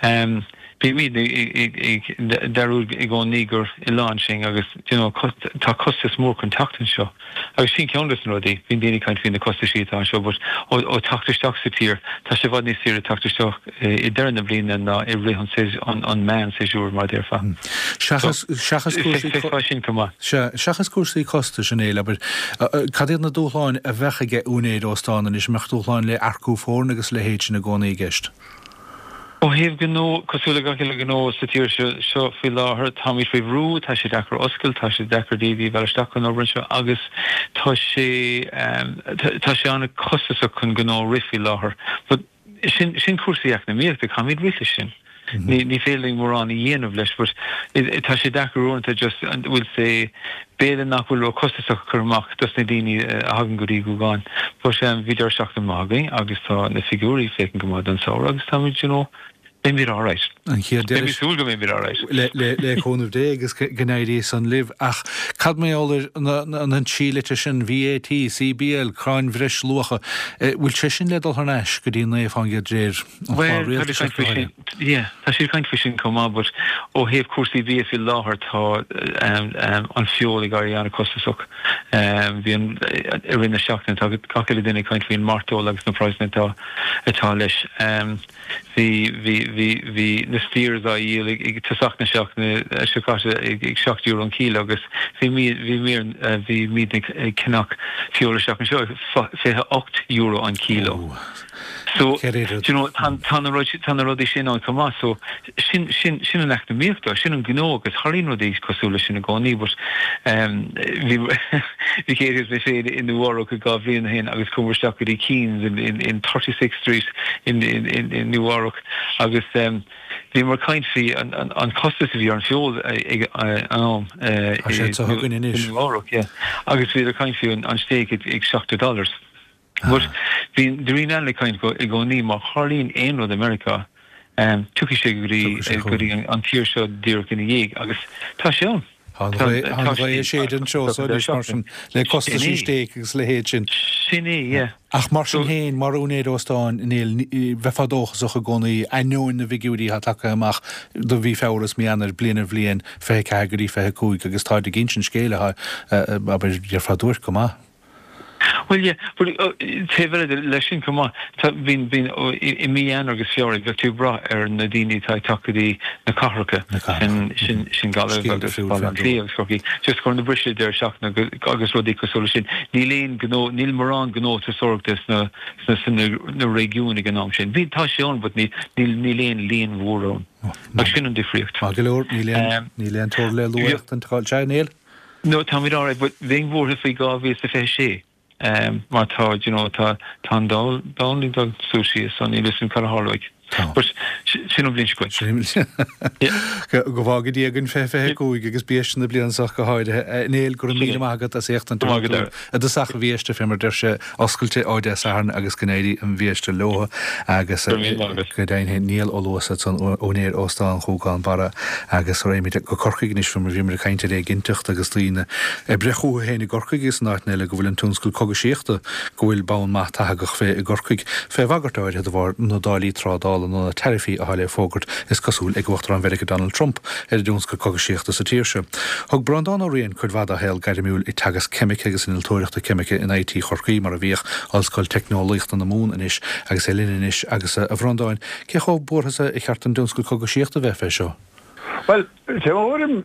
Um, Bímid ag dearúd i gcónaí gur oileán sinn agus you know, tá costas mór chun teacht anseo. Agus sin ceann de na rudaí, bíonn daoine ag caint faoi na costais atá anseo, but ó ó teacht isteach sa tír, tá sé i bhfad níos saoire teacht isteach i deireadh na bliana ná i rith an an meán séasúr mar déarfá. Seachas seachas cúrsaí sin chomh maith. Seachas cúrsaí costais a Néill, abair cad iad na dúshláin a bheadh ag úinéir óstán anois mbeadh dúshláin le earcú foirne agus a leithéid sin i gcónaí i gceist? Ó thaobh gnó, cosúil le gach uile gnó sa tír seo seo faoi láthair, táimid faoi bhrú, tá sé deacair oscailt, tá sé deacair daoine a mhealladh isteach chun obair anseo agus tá sé tá sé an-chostasach chun gnó a rith faoi láthair. But sin sin cúrsaí eacnamaíochta, caithfimid rith leis sin. Ní ní féidir linn mórán a dhéanamh leis, but tá sé deacair uaireanta just bhfuil sé b'fhéidir nach bhfuil ró-chostasach a chur amach dos na daoine a thagann go dtí Gougane. But um, bhí deireadh seachtaine maith againn agus tá na figiúirí féachaint go maith don samhradh agus táimid you know, beimid all right. An chéad deireadh súil go mbeimid all right. Le le le cúnamh Dé agus go n-éirí san libh ach cad mar gheall ar an trí litir sin VAT, CBL, Cáin Bhreisluacha, bhfuil sé sin le dul thar n-ais go dtí naoi faoin gcéad de réir an Well, chlár rialtais tá go háirithe? Yeah, tá siad ag caint faoi sin chomh maith, but ó thaobh cúrsaí bia faoi láthair tá um, um, an feoil ag éirí an-chostasach. Um, bhí an i rith na seachtaine tá gach uile duine ag caint faoin mairteoil agus na praghsanna atá atá leis. Um, bhí bhí bhí bhí na steers á dhíol ag ag tosach na seachtaine seo caite ag ag seacht euro an kilo agus bhí mí bhí mír bhí mí ag ceannach feoil isteach anseo fiche ocht euro an kilo. So you know tá tá na rud tá na rudaí sin ann chomh maith so sin sin sin an eacnamaíocht sin an gnó agus tarlaíonn rudaí cosúil leis sin i gcónaí but um, bhí bhí céad mé féin in Nua-Eabhrac dhá bhliain ó shin agus chuamar isteach go dtí Keens in in in thirty six Street in in in in Nua-Eabhrac agus um, bhíomar ag caint faoi an an an costas a bhí ar an feoil ag an am Tá sé sa thugainn anois. Nua-Eabhrac yeah. agus bhí ag caint faoi an an steak ag ag seachtó dollars. But bhí daoine eile ag caint i gcónaí má tharlaíonn aon rud i Meiriceá um, tiocfaidh sé go dtí go dtí an tír seo díreach ina dhiaidh agus tá sé ann. Tá an ghaoth ag séideadh anseo so anois mar sin le costaisí stéic agus a leithéid sin. Sin é, yeah. Ach mar sin féin mar úinéir óstáin Néill bheifeá dóchasach i gcónaí ainneoin na bhfigiúirí atá tagtha amach do mhí Feabhra is mí Eanáir bliain ar bhliain fiche ceathair go dtí fiche cúig agus táid ag insint scéil atá abair déarfá duairc go maith. Well yeah, but uh, taobh eile leis sin chomh maith tá bíonn bíonn i i mí Eanáir agus Feabhra bheadh tú ag brath ar na daoine atá ag teacht go dtí na cathracha sin sin sin Gaillimh Scéal agus difriúil Baile faoin Átha Cliath agus Corcaigh just chun na briseadh deireadh seachtaine agus rudaí cosúil leis sin. Níl aon gnó níl mórán gnó turasóireachta sna sna sna na réigiúin ag an am sin. Bhí tá sé ann but níl níl níl aon líon mhór ann. Agus sin an difríocht. Maith go leor níl aon níl aon tuar le lua an tráth sé Néill? No táimid all right, but bheinn buartha faoi dhá mhíle is fiche sé. Um, mar tá you know, tá tá an domhan ag dul suas síos so níl a fhios agam cad a tharlóidh. But sin an bhliain seo chugainn. Go bhfága Dia againn fiche fiche cúig agus biaiste na bliana seo go háirithe. Néill go raibh míle maith agat as ucht an i dtosach an bhiaiste fé mar deir sé oscailte ó Dé Sathairn agus go n-éirí an bhiaiste leo agus go deimhin Niall Ó Luasa san úinéir Óstán Ghúgán Barra agus raghaimid go Corcaigh anois fé mar bhíomar ag caint ar éiginnteacht agus daoine ag breith chucu féin i gCorcaigh agus in áiteanna eile go bhfuil an tionscal cogaisíochta go bhfuil bonn maith tathagach fé i gCorcaigh fé bhagairt áirithe de bharr na dtáillí trádála nó na taraifí atá le fógairt is cosúil ag Uachtarán Mheiriceá Donald Trump ar an dtionscal cogaisíochta sa tír seo. Thug Breandán Ó Riain cuid mhaith dá shaol gairmiúil ag teagasc ceimice agus innealtóireachta ceimice in IT Chorcaí mar a bhíodh Ollscoil Teicneolaíochta na Mumhan anois agus é linn anois agus a Bhreandáin, cé chomh buartha is a cheart an tionscal cogaisíochta bheith fé seo? Well, tuairim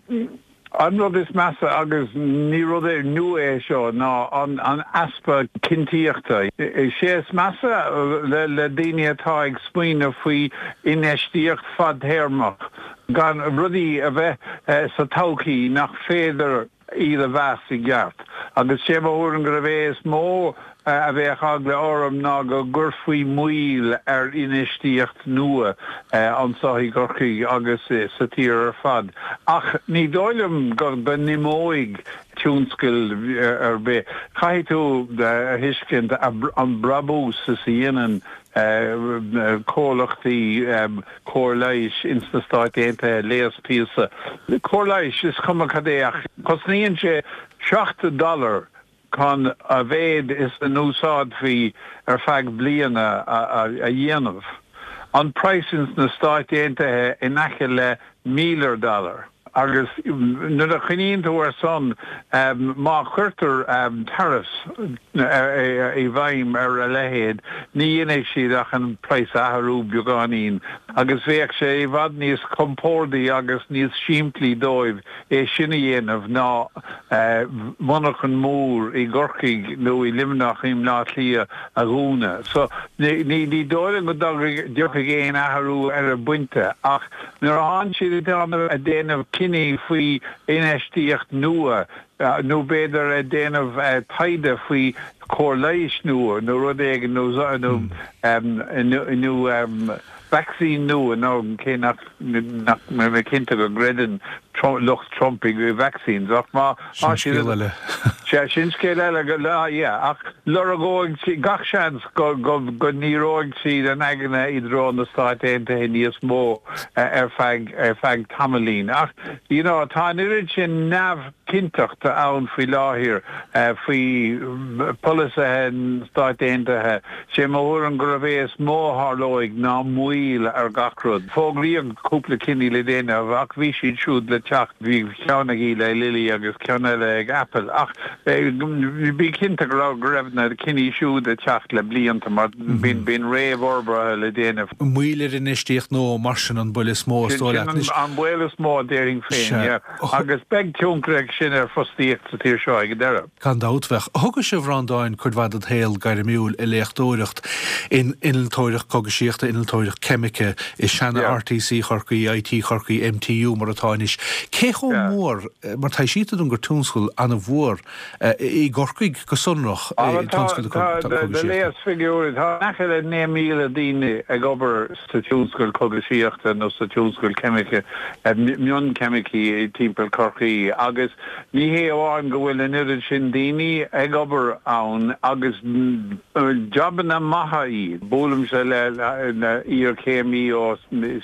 an rud is measa agus ní rud é nua é seo ná an, an easpa cinnteachta. Is é is measa le, le daoine atá ag smaoineamh faoi infheistíocht fadtéarmach gan rudaí a bheith eh, sa todhchaí nach féidir iad a mheas i gceart. Agus sé mo thuairim gurb é is mó a bheadh eagla orm ná go gcuirfí moill ar infheistíocht nua anseo i gCorcaigh agus sa tír ar fad. Ach ní dóigh liom go n-imeoidh tionscal ar bith. Caithfidh tú a thuiscint an brabús is a dhéanann comhlachtaí cóir leighis ins na Stáit Aontaithe, leigheas píosa cóir leighis, is cuma cad é ach cosnaíonn sé seacht dollar chun a mhéid is a n-úsáidfí ar feadh bliana a dhéanamh. An praghas ins na Stáit Aontaithe in aice le míle dollar. Agus nuair a chuimhníonn tú ar san, má chuirtear tariffs i bhfeidhm ar a leithéid, ní dhéanfaidh siad ach an praghas a athrú beagáinín, agus bheadh sé i bhfad níos compórdaí agus níos simplí dóibh é sin a dhéanamh ná monarchan mór i gCorcaigh nó i Luimneach, i mBleá Cliath a dhúnadh. So ní dóigh liom go dtiocfaidh aon athrú ar an bpointe ach nuair a thánn siad ag déanamh cinní faoi infheistíocht nua nó b'fhéidir ag déanamh taighde faoi chóir leighis nua nó rud éigin nó nó vacsaín nua nó cé nach nach mbeidh mé cinnte go gcreideann lucht Trump i vaccines ach má Sin scéal eile. Sea, sin scéal eile go lá, yeah, ach lorgóidh siad gach seans go go go ndíreoidh siad a n-aigne i dtreo na Stáit Aontaithe níos mó ar feadh ar feadh tamaillín. Ach you know tá an oiread sin neamhchinnteachta ann faoi láthair faoi pholasaithe na Stáit Aontaithe. Sé mo thuairim gurb é is mó a tharlóidh ná moill ar gach rud. Fógraíodh cúpla cinní le déanamh ach bhí siad siúd le teacht, bhí ceann ag Eli Lilly agus ceann eile ag Apple ach bí cinnte go raibh go raibh na cinní siúd ag teacht le blianta mar bíonn bíonn réamhfhorbartha le déanamh. Moill ar infheistíocht nua mar sin an baol is mó is dóigh leat anois. An baol is mó a déarfainn féin, yeah. Agus beidh tionchar ag sin ar fostaíocht sa tír seo ag an deireadh. Gan dabht bheadh. Thugais, a Bhreandáin, cuid mhaith ded shaol gairmiúil ag léachtóireacht in innealtóireacht cógaisíochta, innealtóireacht ceimice, i seana RTC Chorcaí, IT Chorcaí, MTU mar atá anois. Cé chomh mór, mar taibhsítear dom gur tionscal an-mhór i gCorcaigh go sonrach é tionscal na cógaisíochta. Do léas figiúirí, tá in aice le naoi míle daoine ag obair sa tionscal cógaisíochta nó sa tionscal ceimice, mioncheimicí timpeall Chorcaí agus ní hé amháin go bhfuil an oiread sin daoine ag obair ann agus jabanna maithe iad. Buailimse le iarchéimí ó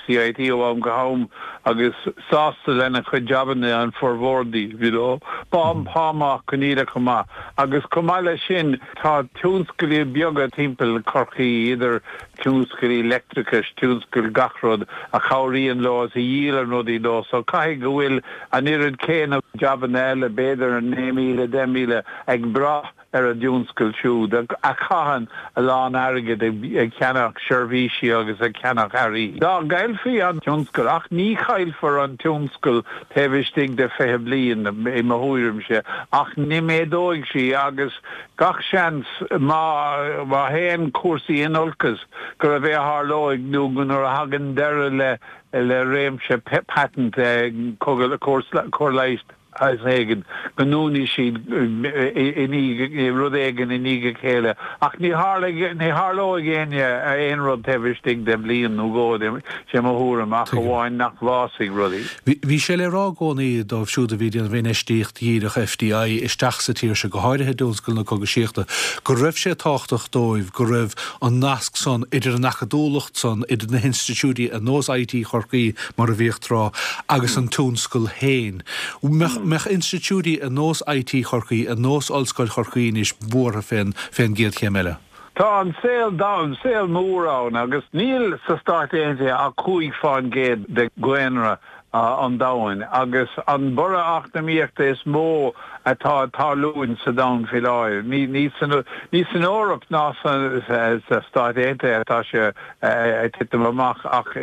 CIT ó am go ham agus sásta lena chuid jabanna an formhór díobh, you know. Pá pá maith, coinníollacha maith. Agus chomh maith leis sin tá tionscailí beaga timpeall Chorcaí, idir tionscailí leictreachais, tionscail gach rud, a chabhraíonn leo is a dhíolann rudaí leo. So caithfidh go bhfuil an oiread céanna jabanna eile, b'fhéidir naoi míle, deich míle, ag brath ar an dtionscal siúd, a chaitheann a lán airgid ag ceannach seirbhísí agus ag ceannach earraí. Dá gcaillfí an tionscal, ach ní chaillfear an tionscal taobh istigh de fiche bliain, i mo thuairimse, ach ní méadóidh sí agus gach seans má má théann cúrsaí in olcas gurb é a tharlóidh nó nuair a thagann deireadh le le réimse patent cóir leighis is éigin go ndúnfaidh siad i ndiaidh rud éigin i ndiaidh a chéile. Ach ní ní tharlóidh éinne aon rud taobh istigh de bhliain nó dhó, sé mo thuairim, ach amháin nach bhfásfaidh rudaí. Bhí sé le rá i gcónaí dóibh siúd a bhí ag déanamh infheistíocht dhíreach FDI isteach sa tír seo, go háirithe i dtionscal na cógaisíochta, go raibh sé tábhachtach dóibh go raibh an nasc san idir an acadúlacht san, idir na hinstitiúidí ar nós IT Chorcaí mar a bhíodh tráth, agus an tionscal féin. Mbeadh institiúidí ar nós IT Chorcaí, ar nós Ollscoil Chorcaí anois buartha fén fén gcéad chéim eile? Tá an saol domhan, saol mór ann agus níl sa Stáit Aontaithe ach cúig fán gcéad de dhaonra an domhain agus an borradh eacnamaíochta is mó atá ag tarlúint sa domhan faoi láthair, ní san ní san Eoraip ná sa Stáit Aontaithe atá sé ag titim amach ach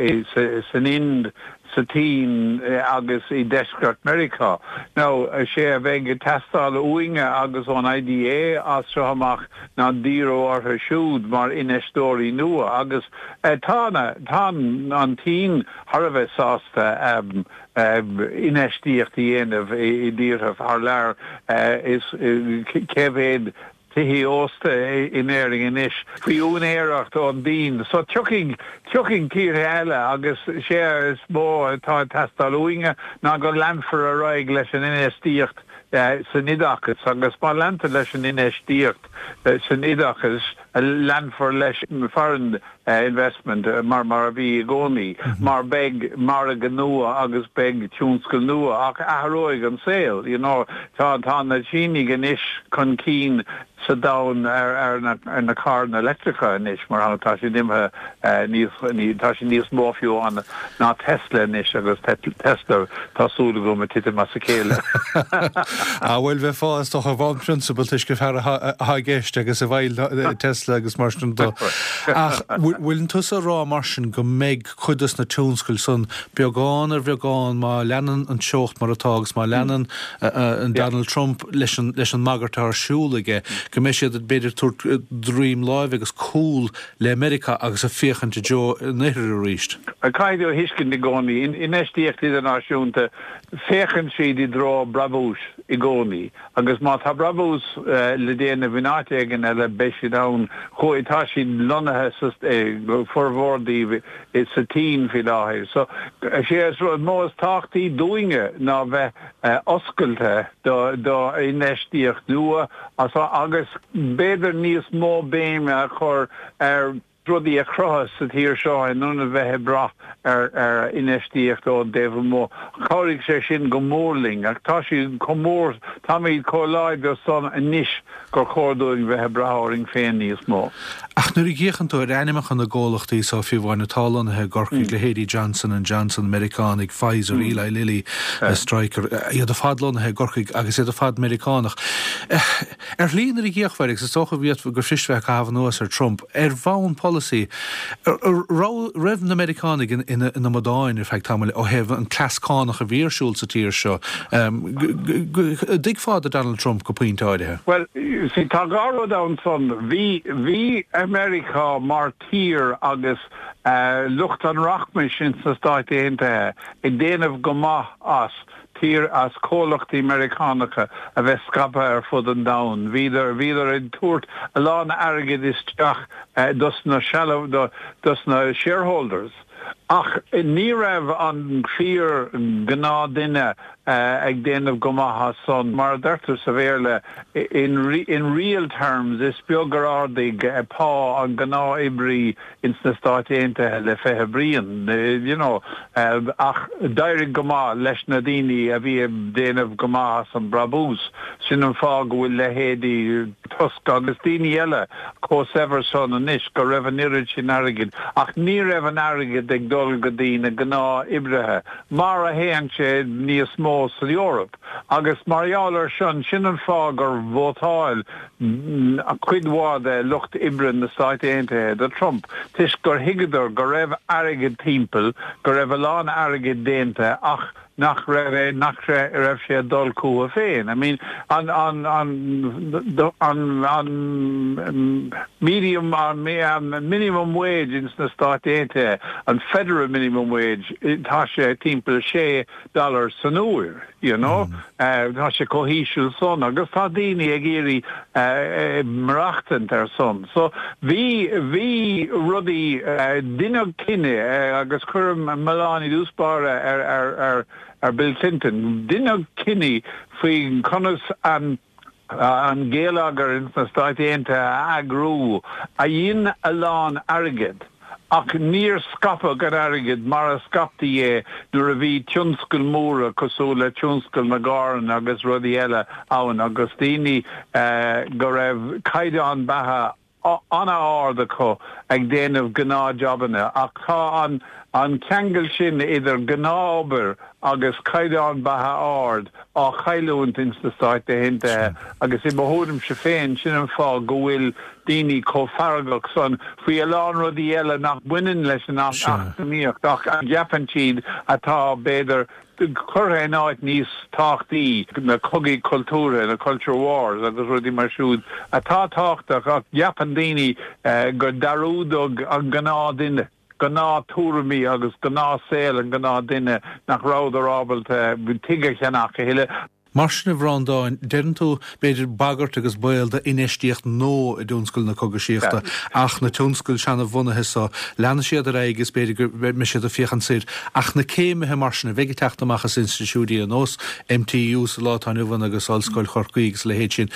san Ind, sa tSín agus i deisceart Meiriceá. Now sé a bheidh ag teastáil uainne agus ón IDA as seo amach ná díriú orthu siúd mar infheisteoirí nua agus tá tá an tSín thar a bheith sásta infheistíocht a dhéanamh i dtíortha thar lear is cé mhéad tithe ósta in Éirinn anois faoi úinéireacht ón tSín. So tiocfaidh tiocfaidh tíortha eile agus sé is mó atá ag teastáil uainne ná go leanfar ar aghaidh leis an infheistíocht san oideachas agus má leantar leis an infheistíocht san oideachas leanfar leis foreign investment mar mar a bhí i gcónaí mar beidh margadh nua agus beidh tionscal nua ach athróidh an saol you know tá tá na Sínigh anois chun cinn sa domhan ar ar na ar na carranna leictreacha anois mar tá siad imithe níos tá siad níos mó fiú an ná Tesla anois agus Tesla tá súil agam ag titim as a chéile. A bhfuil bheith fás a bhain prionsabal tuisce fear atá i gceist agus a bhfuil Tesla agus mar sin de. Ach bhfuil tusa ag rá mar sin go mbeidh cuid des na tionscail san beagán ar bheagán má leanann an teocht mar atá agus má leanann an Donald Trump leis an leis an mbagairt ar siúl aige go mbeidh siad b'fhéidir tabhairt droim láimhe agus cúl le Meiriceá agus ag féachaint i dtreo an oirthir arís. Caithfidh tú a thuiscint i gcónaí, infheistíocht idirnáisiúnta, féachann siad i dtreo brabúis i gcónaí agus má tá brabús le déanamh in áit éigin eile beidh siad ann. Chuaigh, tá siad lonnaithe sa, formhór díobh sa tSín faoi láthair. So, sé is rud mó is tábhachtaí dúinne ná bheith oscailte do do infheistíocht nua agus b'fhéidir níos mó béime a chur ar rudaí a chruthú sa tír seo in ionad bheith ag brath ar ar infheistíocht ón dtaobh amuigh. Chabhraigh sé sin go mór linn ach tá sé chomh mór, táimid chomh láidir san anois gur chóir dúinn bheith ag brath orainn féin níos mó. Ach nuair a fhéachann tú ar ainmneacha na gcomhlachtaí so fiú amháin atá lonnaithe i gCorcaigh, leithéidí Johnson and Johnson, Meiriceánaigh, Pfizer, Eli Lilly, Stryker, iad ar fad lonnaithe i gCorcaigh agus iad ar fad Meiriceánach. Ar shlí nuair a d'fhéachfá air, agus is dócha gur fuirist bheith ag caitheamh anuas ar Trump, ar bhonn polasaí, raibh na Meiriceánaigh ina n-amadáin ar feadh tamaill ó thaobh an cleas cánach a bhí ar siúl sa tír seo. Dtuigfeá do Donald Trump go pointe áirithe? Bhuel, see, tá dhá rud ann san. Bhí, bhí Meiriceá mar tír agus lucht an rachmais ins na Stáit Aontaithe ag déanamh go maith as tír, as comhlachtaí Meiriceánacha a bheith scaipthe ar fud an domhain. Bhíodar, bhíodar ag tabhairt a lán airgid isteach dos na sealbh, dos na shareholders. Ach ní raibh an fíor ghnáthduine ag déanamh go maith as san. Mar a deirtear sa Bhéarla, in in real terms, is beag gur ardaigh pá an ghnáth-oibrí ins na Stáit Aontaithe le fiche bliain, you know. Ach d'éirigh go maith leis na daoine a bhí ag déanamh go maith as an brabús. Sin an fáth go bhfuil leithéidí Tusk agus daoine eile chomh saibhir san anois, go raibh an oiread sin airgid. Ach ní raibh an airgead ag dul go dtí na gnáth-oibrithe, mar a théann sé níos mó san Eoraip. Agus mar gheall ar sin, sin an fáth gur vótáil cuid mhaith de lucht oibre na Stáit Aontaithe do Trump, toisc gur thuigeadar go raibh airgead timpeall, go raibh a lán airgid déanta ach nach raibh nach raibh sé ag dul chucu féin. I mean, an an an an an medium an minimum wage ins na Stáit Aontaithe, an federal minimum wage, tá sé timpeall sé dollar san uair, you know. Tá sé chomh híseal san agus tá daoine ag iarraidh maireachtaint ar san. So bhí bhí rudaí deineadh cinneadh agus cuirim milleán i dtús báire ar ar ar ar Bill Clinton. Deineadh cinneadh faoi conas an an geilleagar ins na Stáit Aontaithe a eagrú a dhein a lán airgid. Ach níor scaipeadh an airgead mar a scaiptí é nuair a bhí tionscail mhóra cosúil le tionscal na gcarranna agus rudaí eile ann agus daoine go raibh caighdeán beatha an-ard acu ag déanamh gnáthjabanna. Ach tá an an ceangal sin idir gnáthobair agus caighdeán beatha ard á chailliúint ins na Stáit Aontaithe agus i mo thuairimse féin sin an fáth go bhfuil daoine chomh feargach san faoi a lán rudaí eile nach mbaineann leis an eacnamaíocht ach a gceapann siad atá b'fhéidir curtha in áit níos tábhachtaí, na cogaí cultúrtha, na culture wars agus rudaí mar siúd atá tábhachtach ach ceapann daoine gur dearúdadh an gnáthduine, gnáth-tuairimí agus gnáthshaol an gnáthdhuine nach rabhadar ábalta tigh a cheannach a thuilleadh. Mar sin, a Bhreandáin, deireann tú, b'fhéidir, bagairt agus baol d'infheistíocht nua i dtionscal na cógaisíochta, ach na tionscail seanabhunaithe so, leanfaidh siad ar aghaidh agus b'fhéidir go mbeidh siad ag féachaint soir. Ach na céimithe mar sin a bheidh ag teacht amach as institiúidí ar nós MTU sa lá atá inniu ann agus Ollscoil Chorcaí agus a leithéid sin,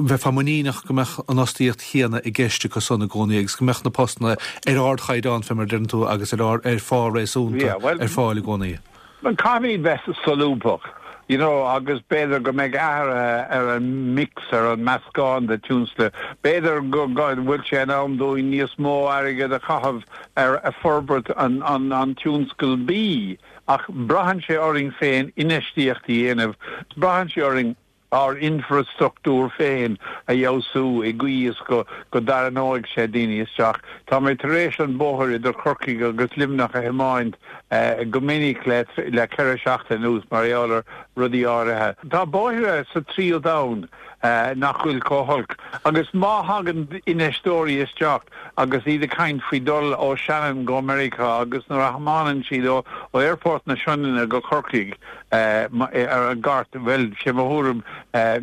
bheifeá muiníneach go mbeadh an fhostaíocht chéanna i gceist acu san i gcónaí agus go mbeadh na postanna ar ardchaighdeán, fé mar a deireann tú, agus ar ar phá réasúnta ar fáil i gcónaí. Caithfimid bheith solúbtha, you know, agus b'fhéidir go mbeidh athruithe ar an mix, ar an meascán de tionscail. B'fhéidir go bhfuil sé in am dúinn níos mó airgead a chaitheamh ar forbairt an an an tionscal bídh, ach braitheann sé orainn féin infheistíocht a dhéanamh, braitheann sé orainn ár infreastruchtúr féin a fheabhsú i gcaoi is go go dtarraingeoidh sé daoine isteach. Tá mé tar éis an bóthar idir Corcaigh agus Luimneach a thiomáint go minic le le ceithre seachtain anuas mar gheall ar rudaí áirithe. Tá bóithre sa tríú domhan nach bhfuil chomh holc agus má thagann infheisteoirí isteach agus iad ag caint faoi dul ó Shannon go Meiriceá agus nuair a thiomáineann siad ó Aerfort na Sionainne go Corcaigh ar an gcairt, bhuel, sé mo thuairim,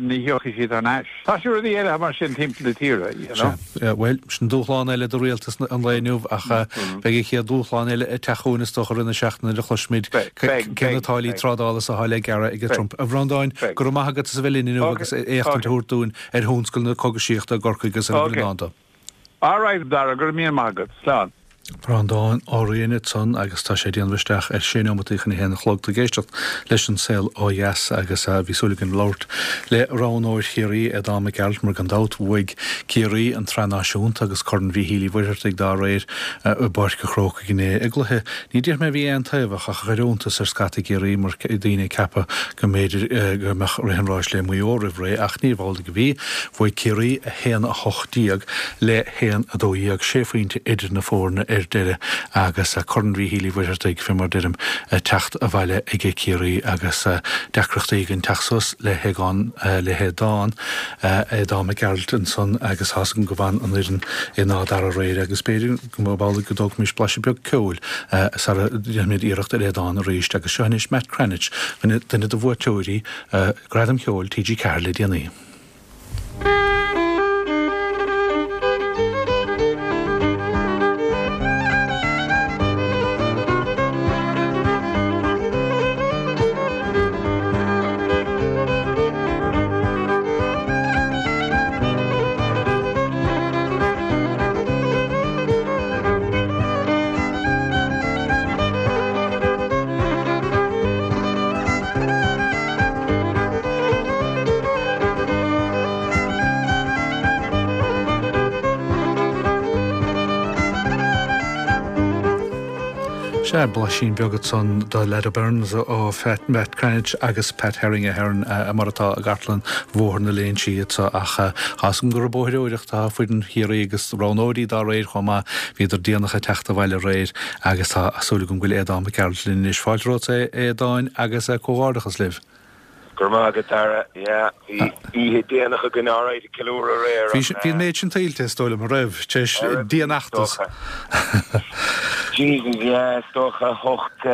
ní thiocfaidh siad thar n-ais. Tá sé rudaí eile mar sin timpeall na tíre, you know. Sea, bhuel, sin dúshlán eile do rialtas an lae inniu ach beidh an chéad dúshlán eile ag teacht chugainn is dócha i rith na seachtaine nuair a chloisfimid cé na táillí trádála is atá le gearradh ag Trump. A Bhreandáin, go raibh maith agat as a bheith linn inniu agus éachtaint a thabhairt dúinn ar thionscal na cógaisíochta i gCorcaigh agus ar a bhfuil i ndán dó. All right, Dara, go raibh míle maith agat. Slán. Breandán Ó Riain ansan agus tá sé ag déanamh isteach ar sé neomataí chun a haon a chlog. Tú ag éisteacht leis An Saol Ó Dheas agus bhí súil againn labhairt le roghnóir Chiarraí, Aodán Mac Gearailt, mar gan dabht bhuaigh Ciarraí an tSraith Náisiúnta agus Corn Mhíchíl Uí Mhuircheartaigh dá réir i bPáirc an Chrócaigh inné i gcluiche ní déarfaidh mé a bhí aontaobhach ach a chuir iontas ar scata i gCiarraí mar daoine ag ceapadh go mb'fhéidir go mbeadh rith an ráis le Maigh Eo roimh ré ach níorbh amhlaidh a bhí. Bhuaigh Ciarraí a haon a hocht déag le haon a dó dhéag, sé phointe idir na foirne ar deireadh agus Corn Mhíchíl Uí Mhuircheartaigh, fé mar deirim, ag teacht abhaile aige Ciarraí agus deacrachtaí againn teacht suas le hAogán, le hAodán, Aodán Mac Gearailt ansan agus tá's agam go bhfan an fhoireann in Áth Dara aréir agus b'fhéidir go mba amhlaidh go dtógfaimis blaiseadh beag ceoil sara ndéanfaimid iarracht ar Aodán arís agus seo anois Matt Cranitch, duine de bhuaiteoirí Gradam Cheoil T G Ceathair le déanaí. Sea, blaisín beag ansan de Ladderburns ó Matt Cranitch agus Pat Herring Ahern mar atá i gcartlann Bhóthar na Léinsí anseo ach tá's agam gur ag bóithreoireacht atá foireann Chiarraí agus roghnóirí dá réir chomh maith. Bhíodar déanach ag teacht abhaile aréir agus tá súil agam go bhfuil Aodán Mac Gearailt linn anois. Fáilte romhat a Aodáin agus comhghairdeachas libh. Go raibh maith agat, Dara. Yeah, bhí oíche déanach againn alright ag ceiliúradh aréir Bhí ach bhí an méid sin tuillte, is dóigh liom, a raibh, tar éis dianfheachtas. Jesus, yeah, is dócha hocht,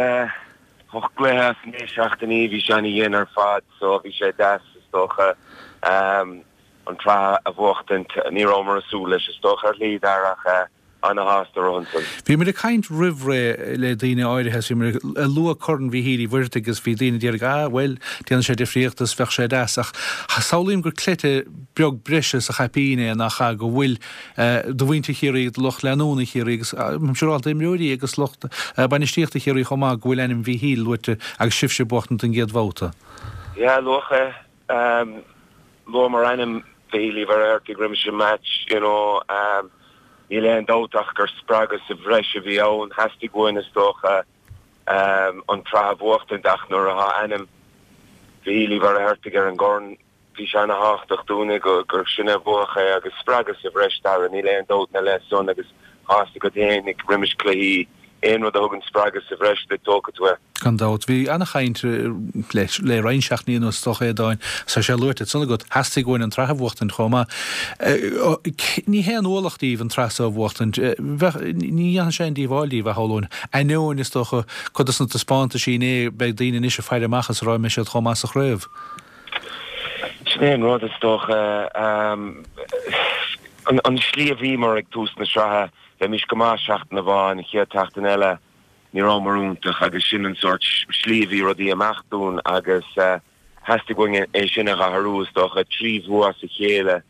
hocht gcluiche as naoi seachtainí, bhí sé ana-dhian ar fad, so bhí sé deas, is dócha, an tsraith a bhuachtaint. Ní rabhamar ag súil leis, is dócha, ar shlí, Dara, ach ana-shásta ansan. Bhí muid ag caint roimh ré le daoine áirithe is bhí muid ag lua Corn Mhíchíl Uí Mhuircheartaigh agus bhí daoine ag iarraidh ah bhuel déanann sé difríocht is bheadh sé deas ach samhlaím gur cleite beag breise sa chaipín é nach ea go bhfuil do mhuintir Chiarraí, do lucht leanúna Chiarraí agus siúráilte d'imreoirí agus lucht bainistíochta Chiarraí chomh maith go bhfuil ainm Mhíchíl luaite agus sibhse ag buachtaint don gcéad bhabhta. Yeah luadh é. Luamar ainm Mhíchíl Uí Mhuircheartaigh roimis an match you know. Níl aon dabht ach gur spreagadh sa bhreis a bhí ann. Theastaigh uainn, is dócha, an tsraith a bhuachtaint ach nuair atá ainm Mhichíl Uí Mhuircheartaigh ar an gcorn, bhí sé ana-thábhachtach dúinne gur sinne a bhuafadh é agus spreagadh sa bhreis, Dara, níl aon dabht ina leith san agus tá fhios agat fhéinig roimis cluichí, aon rud a thugann spreagadh sa bhreis duit, tógfaidh tú é. Gan dabht. Bhí ana-chaint le roinnt seachtainí anuas, is dócha, a Aodáin, tá sé luaite ansan agat, theastaigh uainn an tsraith a bhuachtaint chomh maith. Ní haon ualach daoibh an tsraith so a bhuachtaint. Bheadh, ní dhéanfadh sé aon díobháil daoibh, a shamhlóinn. Ainneoin, is dócha, cuid dos na taispeántaisí inné, beidh daoine anois ag faire amach is ag rá an mbeidh siad chomh maith sa chraobh. Sin é an rud, is dócha. An slí a bhíomar ag tús na sraithe, bheimis go maith seachtain amháin, an chéad tseachtain eile, ní rabhamar iontach agus sin an sórt slí a bhí rudaí ag imeacht dúinn agus theastaigh uainn é sin a athrú, is dócha, trí bhua as a chéile.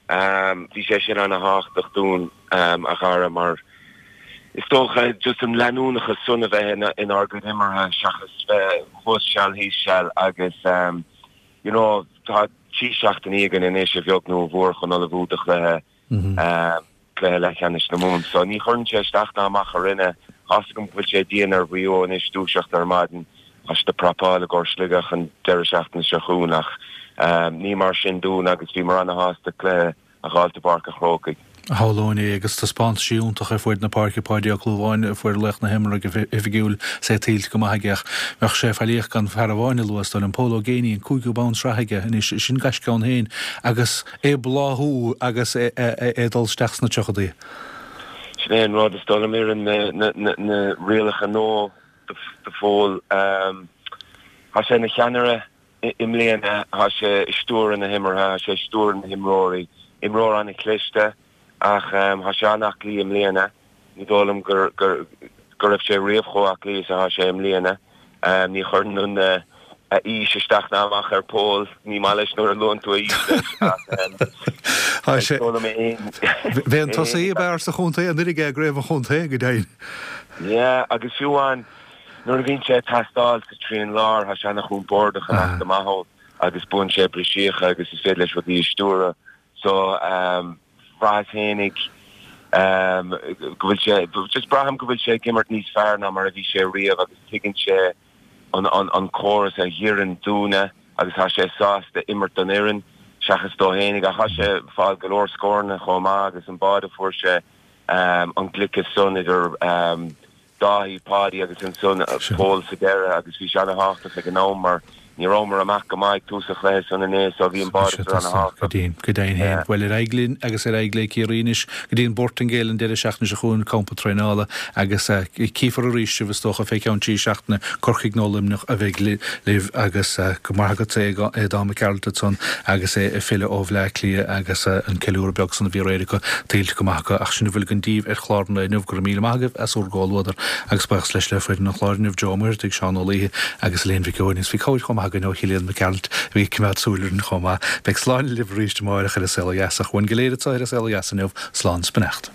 Bhí sé sin ana-thábhachtach dúinn, a Dhara, mar is dócha just an leanúnachas san a bheith inár gcuid imeartha seachas bheith thuas seal thíos seal agus you know tá trí seachtainí againn anois a bheag nó a mhór chun ullmhú do chluiche cluiche leathcheannais na Mumhan. So ní chuireann sé isteach ná amach orainne. Tá fhios agam go bhfuil sé dian ar Mhaigh Eo anois dúiseacht ar maidin, tá siad ag prapáil i gcomhair Sligeach an deireadh seachtaine seo chugainn ach ní mar sin dúinn agus bhíomar ana-shásta cluiche a dh'fháilt i bPáirc an Chrócaigh. Shamhlóinn é agus taispeántaisí iontach ar fuaid na páirce, Páidí Ó Clúmháin a fuair laoch na himeartha go hoifigiúil is é tuillte go maith aige ach bheadh sé faillíoch gan fear amháin a lua is dóigh liom, Pól Ó Géibheannaigh, an cúigiú bonn sraithe aige anois, sin gaisce ann féin agus é ag bláthú agus é ag dul isteach sna tríochadaí. Sin é an rud, is dóigh liom, oireann na rialacha nua do Phól. Tá sé ina cheannaire i mbliana, tá sé ag stiúradh na himeartha, tá sé ag stiúradh na himreoirí. Imreoir an-chliste ach tá sé an-aclaí i mbliana. Ní dóigh liom go raibh sé riamh chomh aclaí is atá sé i mbliana. Ní chuireann a aois isteach ná amach ar Phól. Ní maith leis nuair a luann tú a aois leis ach is dóigh liom é féin. B'é an tosaí ab fhearr sa chontae anuraidh é i gcraobh an chontae, go deimhin. Yeah, agus fiú amháin nuair a bhíonn sé ag teastáil sa trian láir, tá sé an-chompordach i measc na maith ann agus buann sé briseacha agus is féidir leis rudaí a stiúradh. So, bhraitheas fhéinig go bhfuil sé, just braithim go bhfuil sé ag imirt níos fearr ná mar a bhí sé riamh agus tuigeann sé an, an, an córas a dh'oireann dúinne agus tá sé sásta imirt don fhoireann seachas dó fhéinig. Ach tá sé ag fáil go leor scóranna chomh maith agus an báide a fuair sé, an gliceas san idir Dáithí, Páidí agus ansan Pól sa deireadh agus bhí sé ana-thábhachtach ag an am mar ní rabhamar amach go maith ag tús an chluiche san inné so bhí an báide san ana-thábhachtach. Go deimhin féin. Bhuel, ar aghaidh linn agus ar aghaidh le Ciarraí anois go dtí an Bhortaingéil an deireadh seachtaine seo chugainn, campa traenála agus cífear arís sibh is dócha fé cheann trí seachtaine, Corcaigh nó Luimneach a bheidh libh agus go maith agatsa Aodán Mac Gearailt ansan agus é ag filleadh ó Bhleá Cliath agus an ceiliúradh beag san a bhí aréir acu tuillte go maith acu ach sin a bhfuil againn daoibh ar chlár an lae inniu. Go raibh míle maith agaibh as bhur gcomhluadar agus buíochas leis le foireann an chláir inniu, Joe Ó Muircheartaigh, Seán Ó Laoithe agus Elaine Mhic Eoin agus bhí cabhair chomh maith againn ó Chillian Mac Gearailt a bhí ag coimeád súil orainn chomh maith. Beidh slán libh arís amárach ar An Saol Ó Dheas ach uainn go léir anseo ar An Saol Ó Dheas inniu, slán 's beannacht.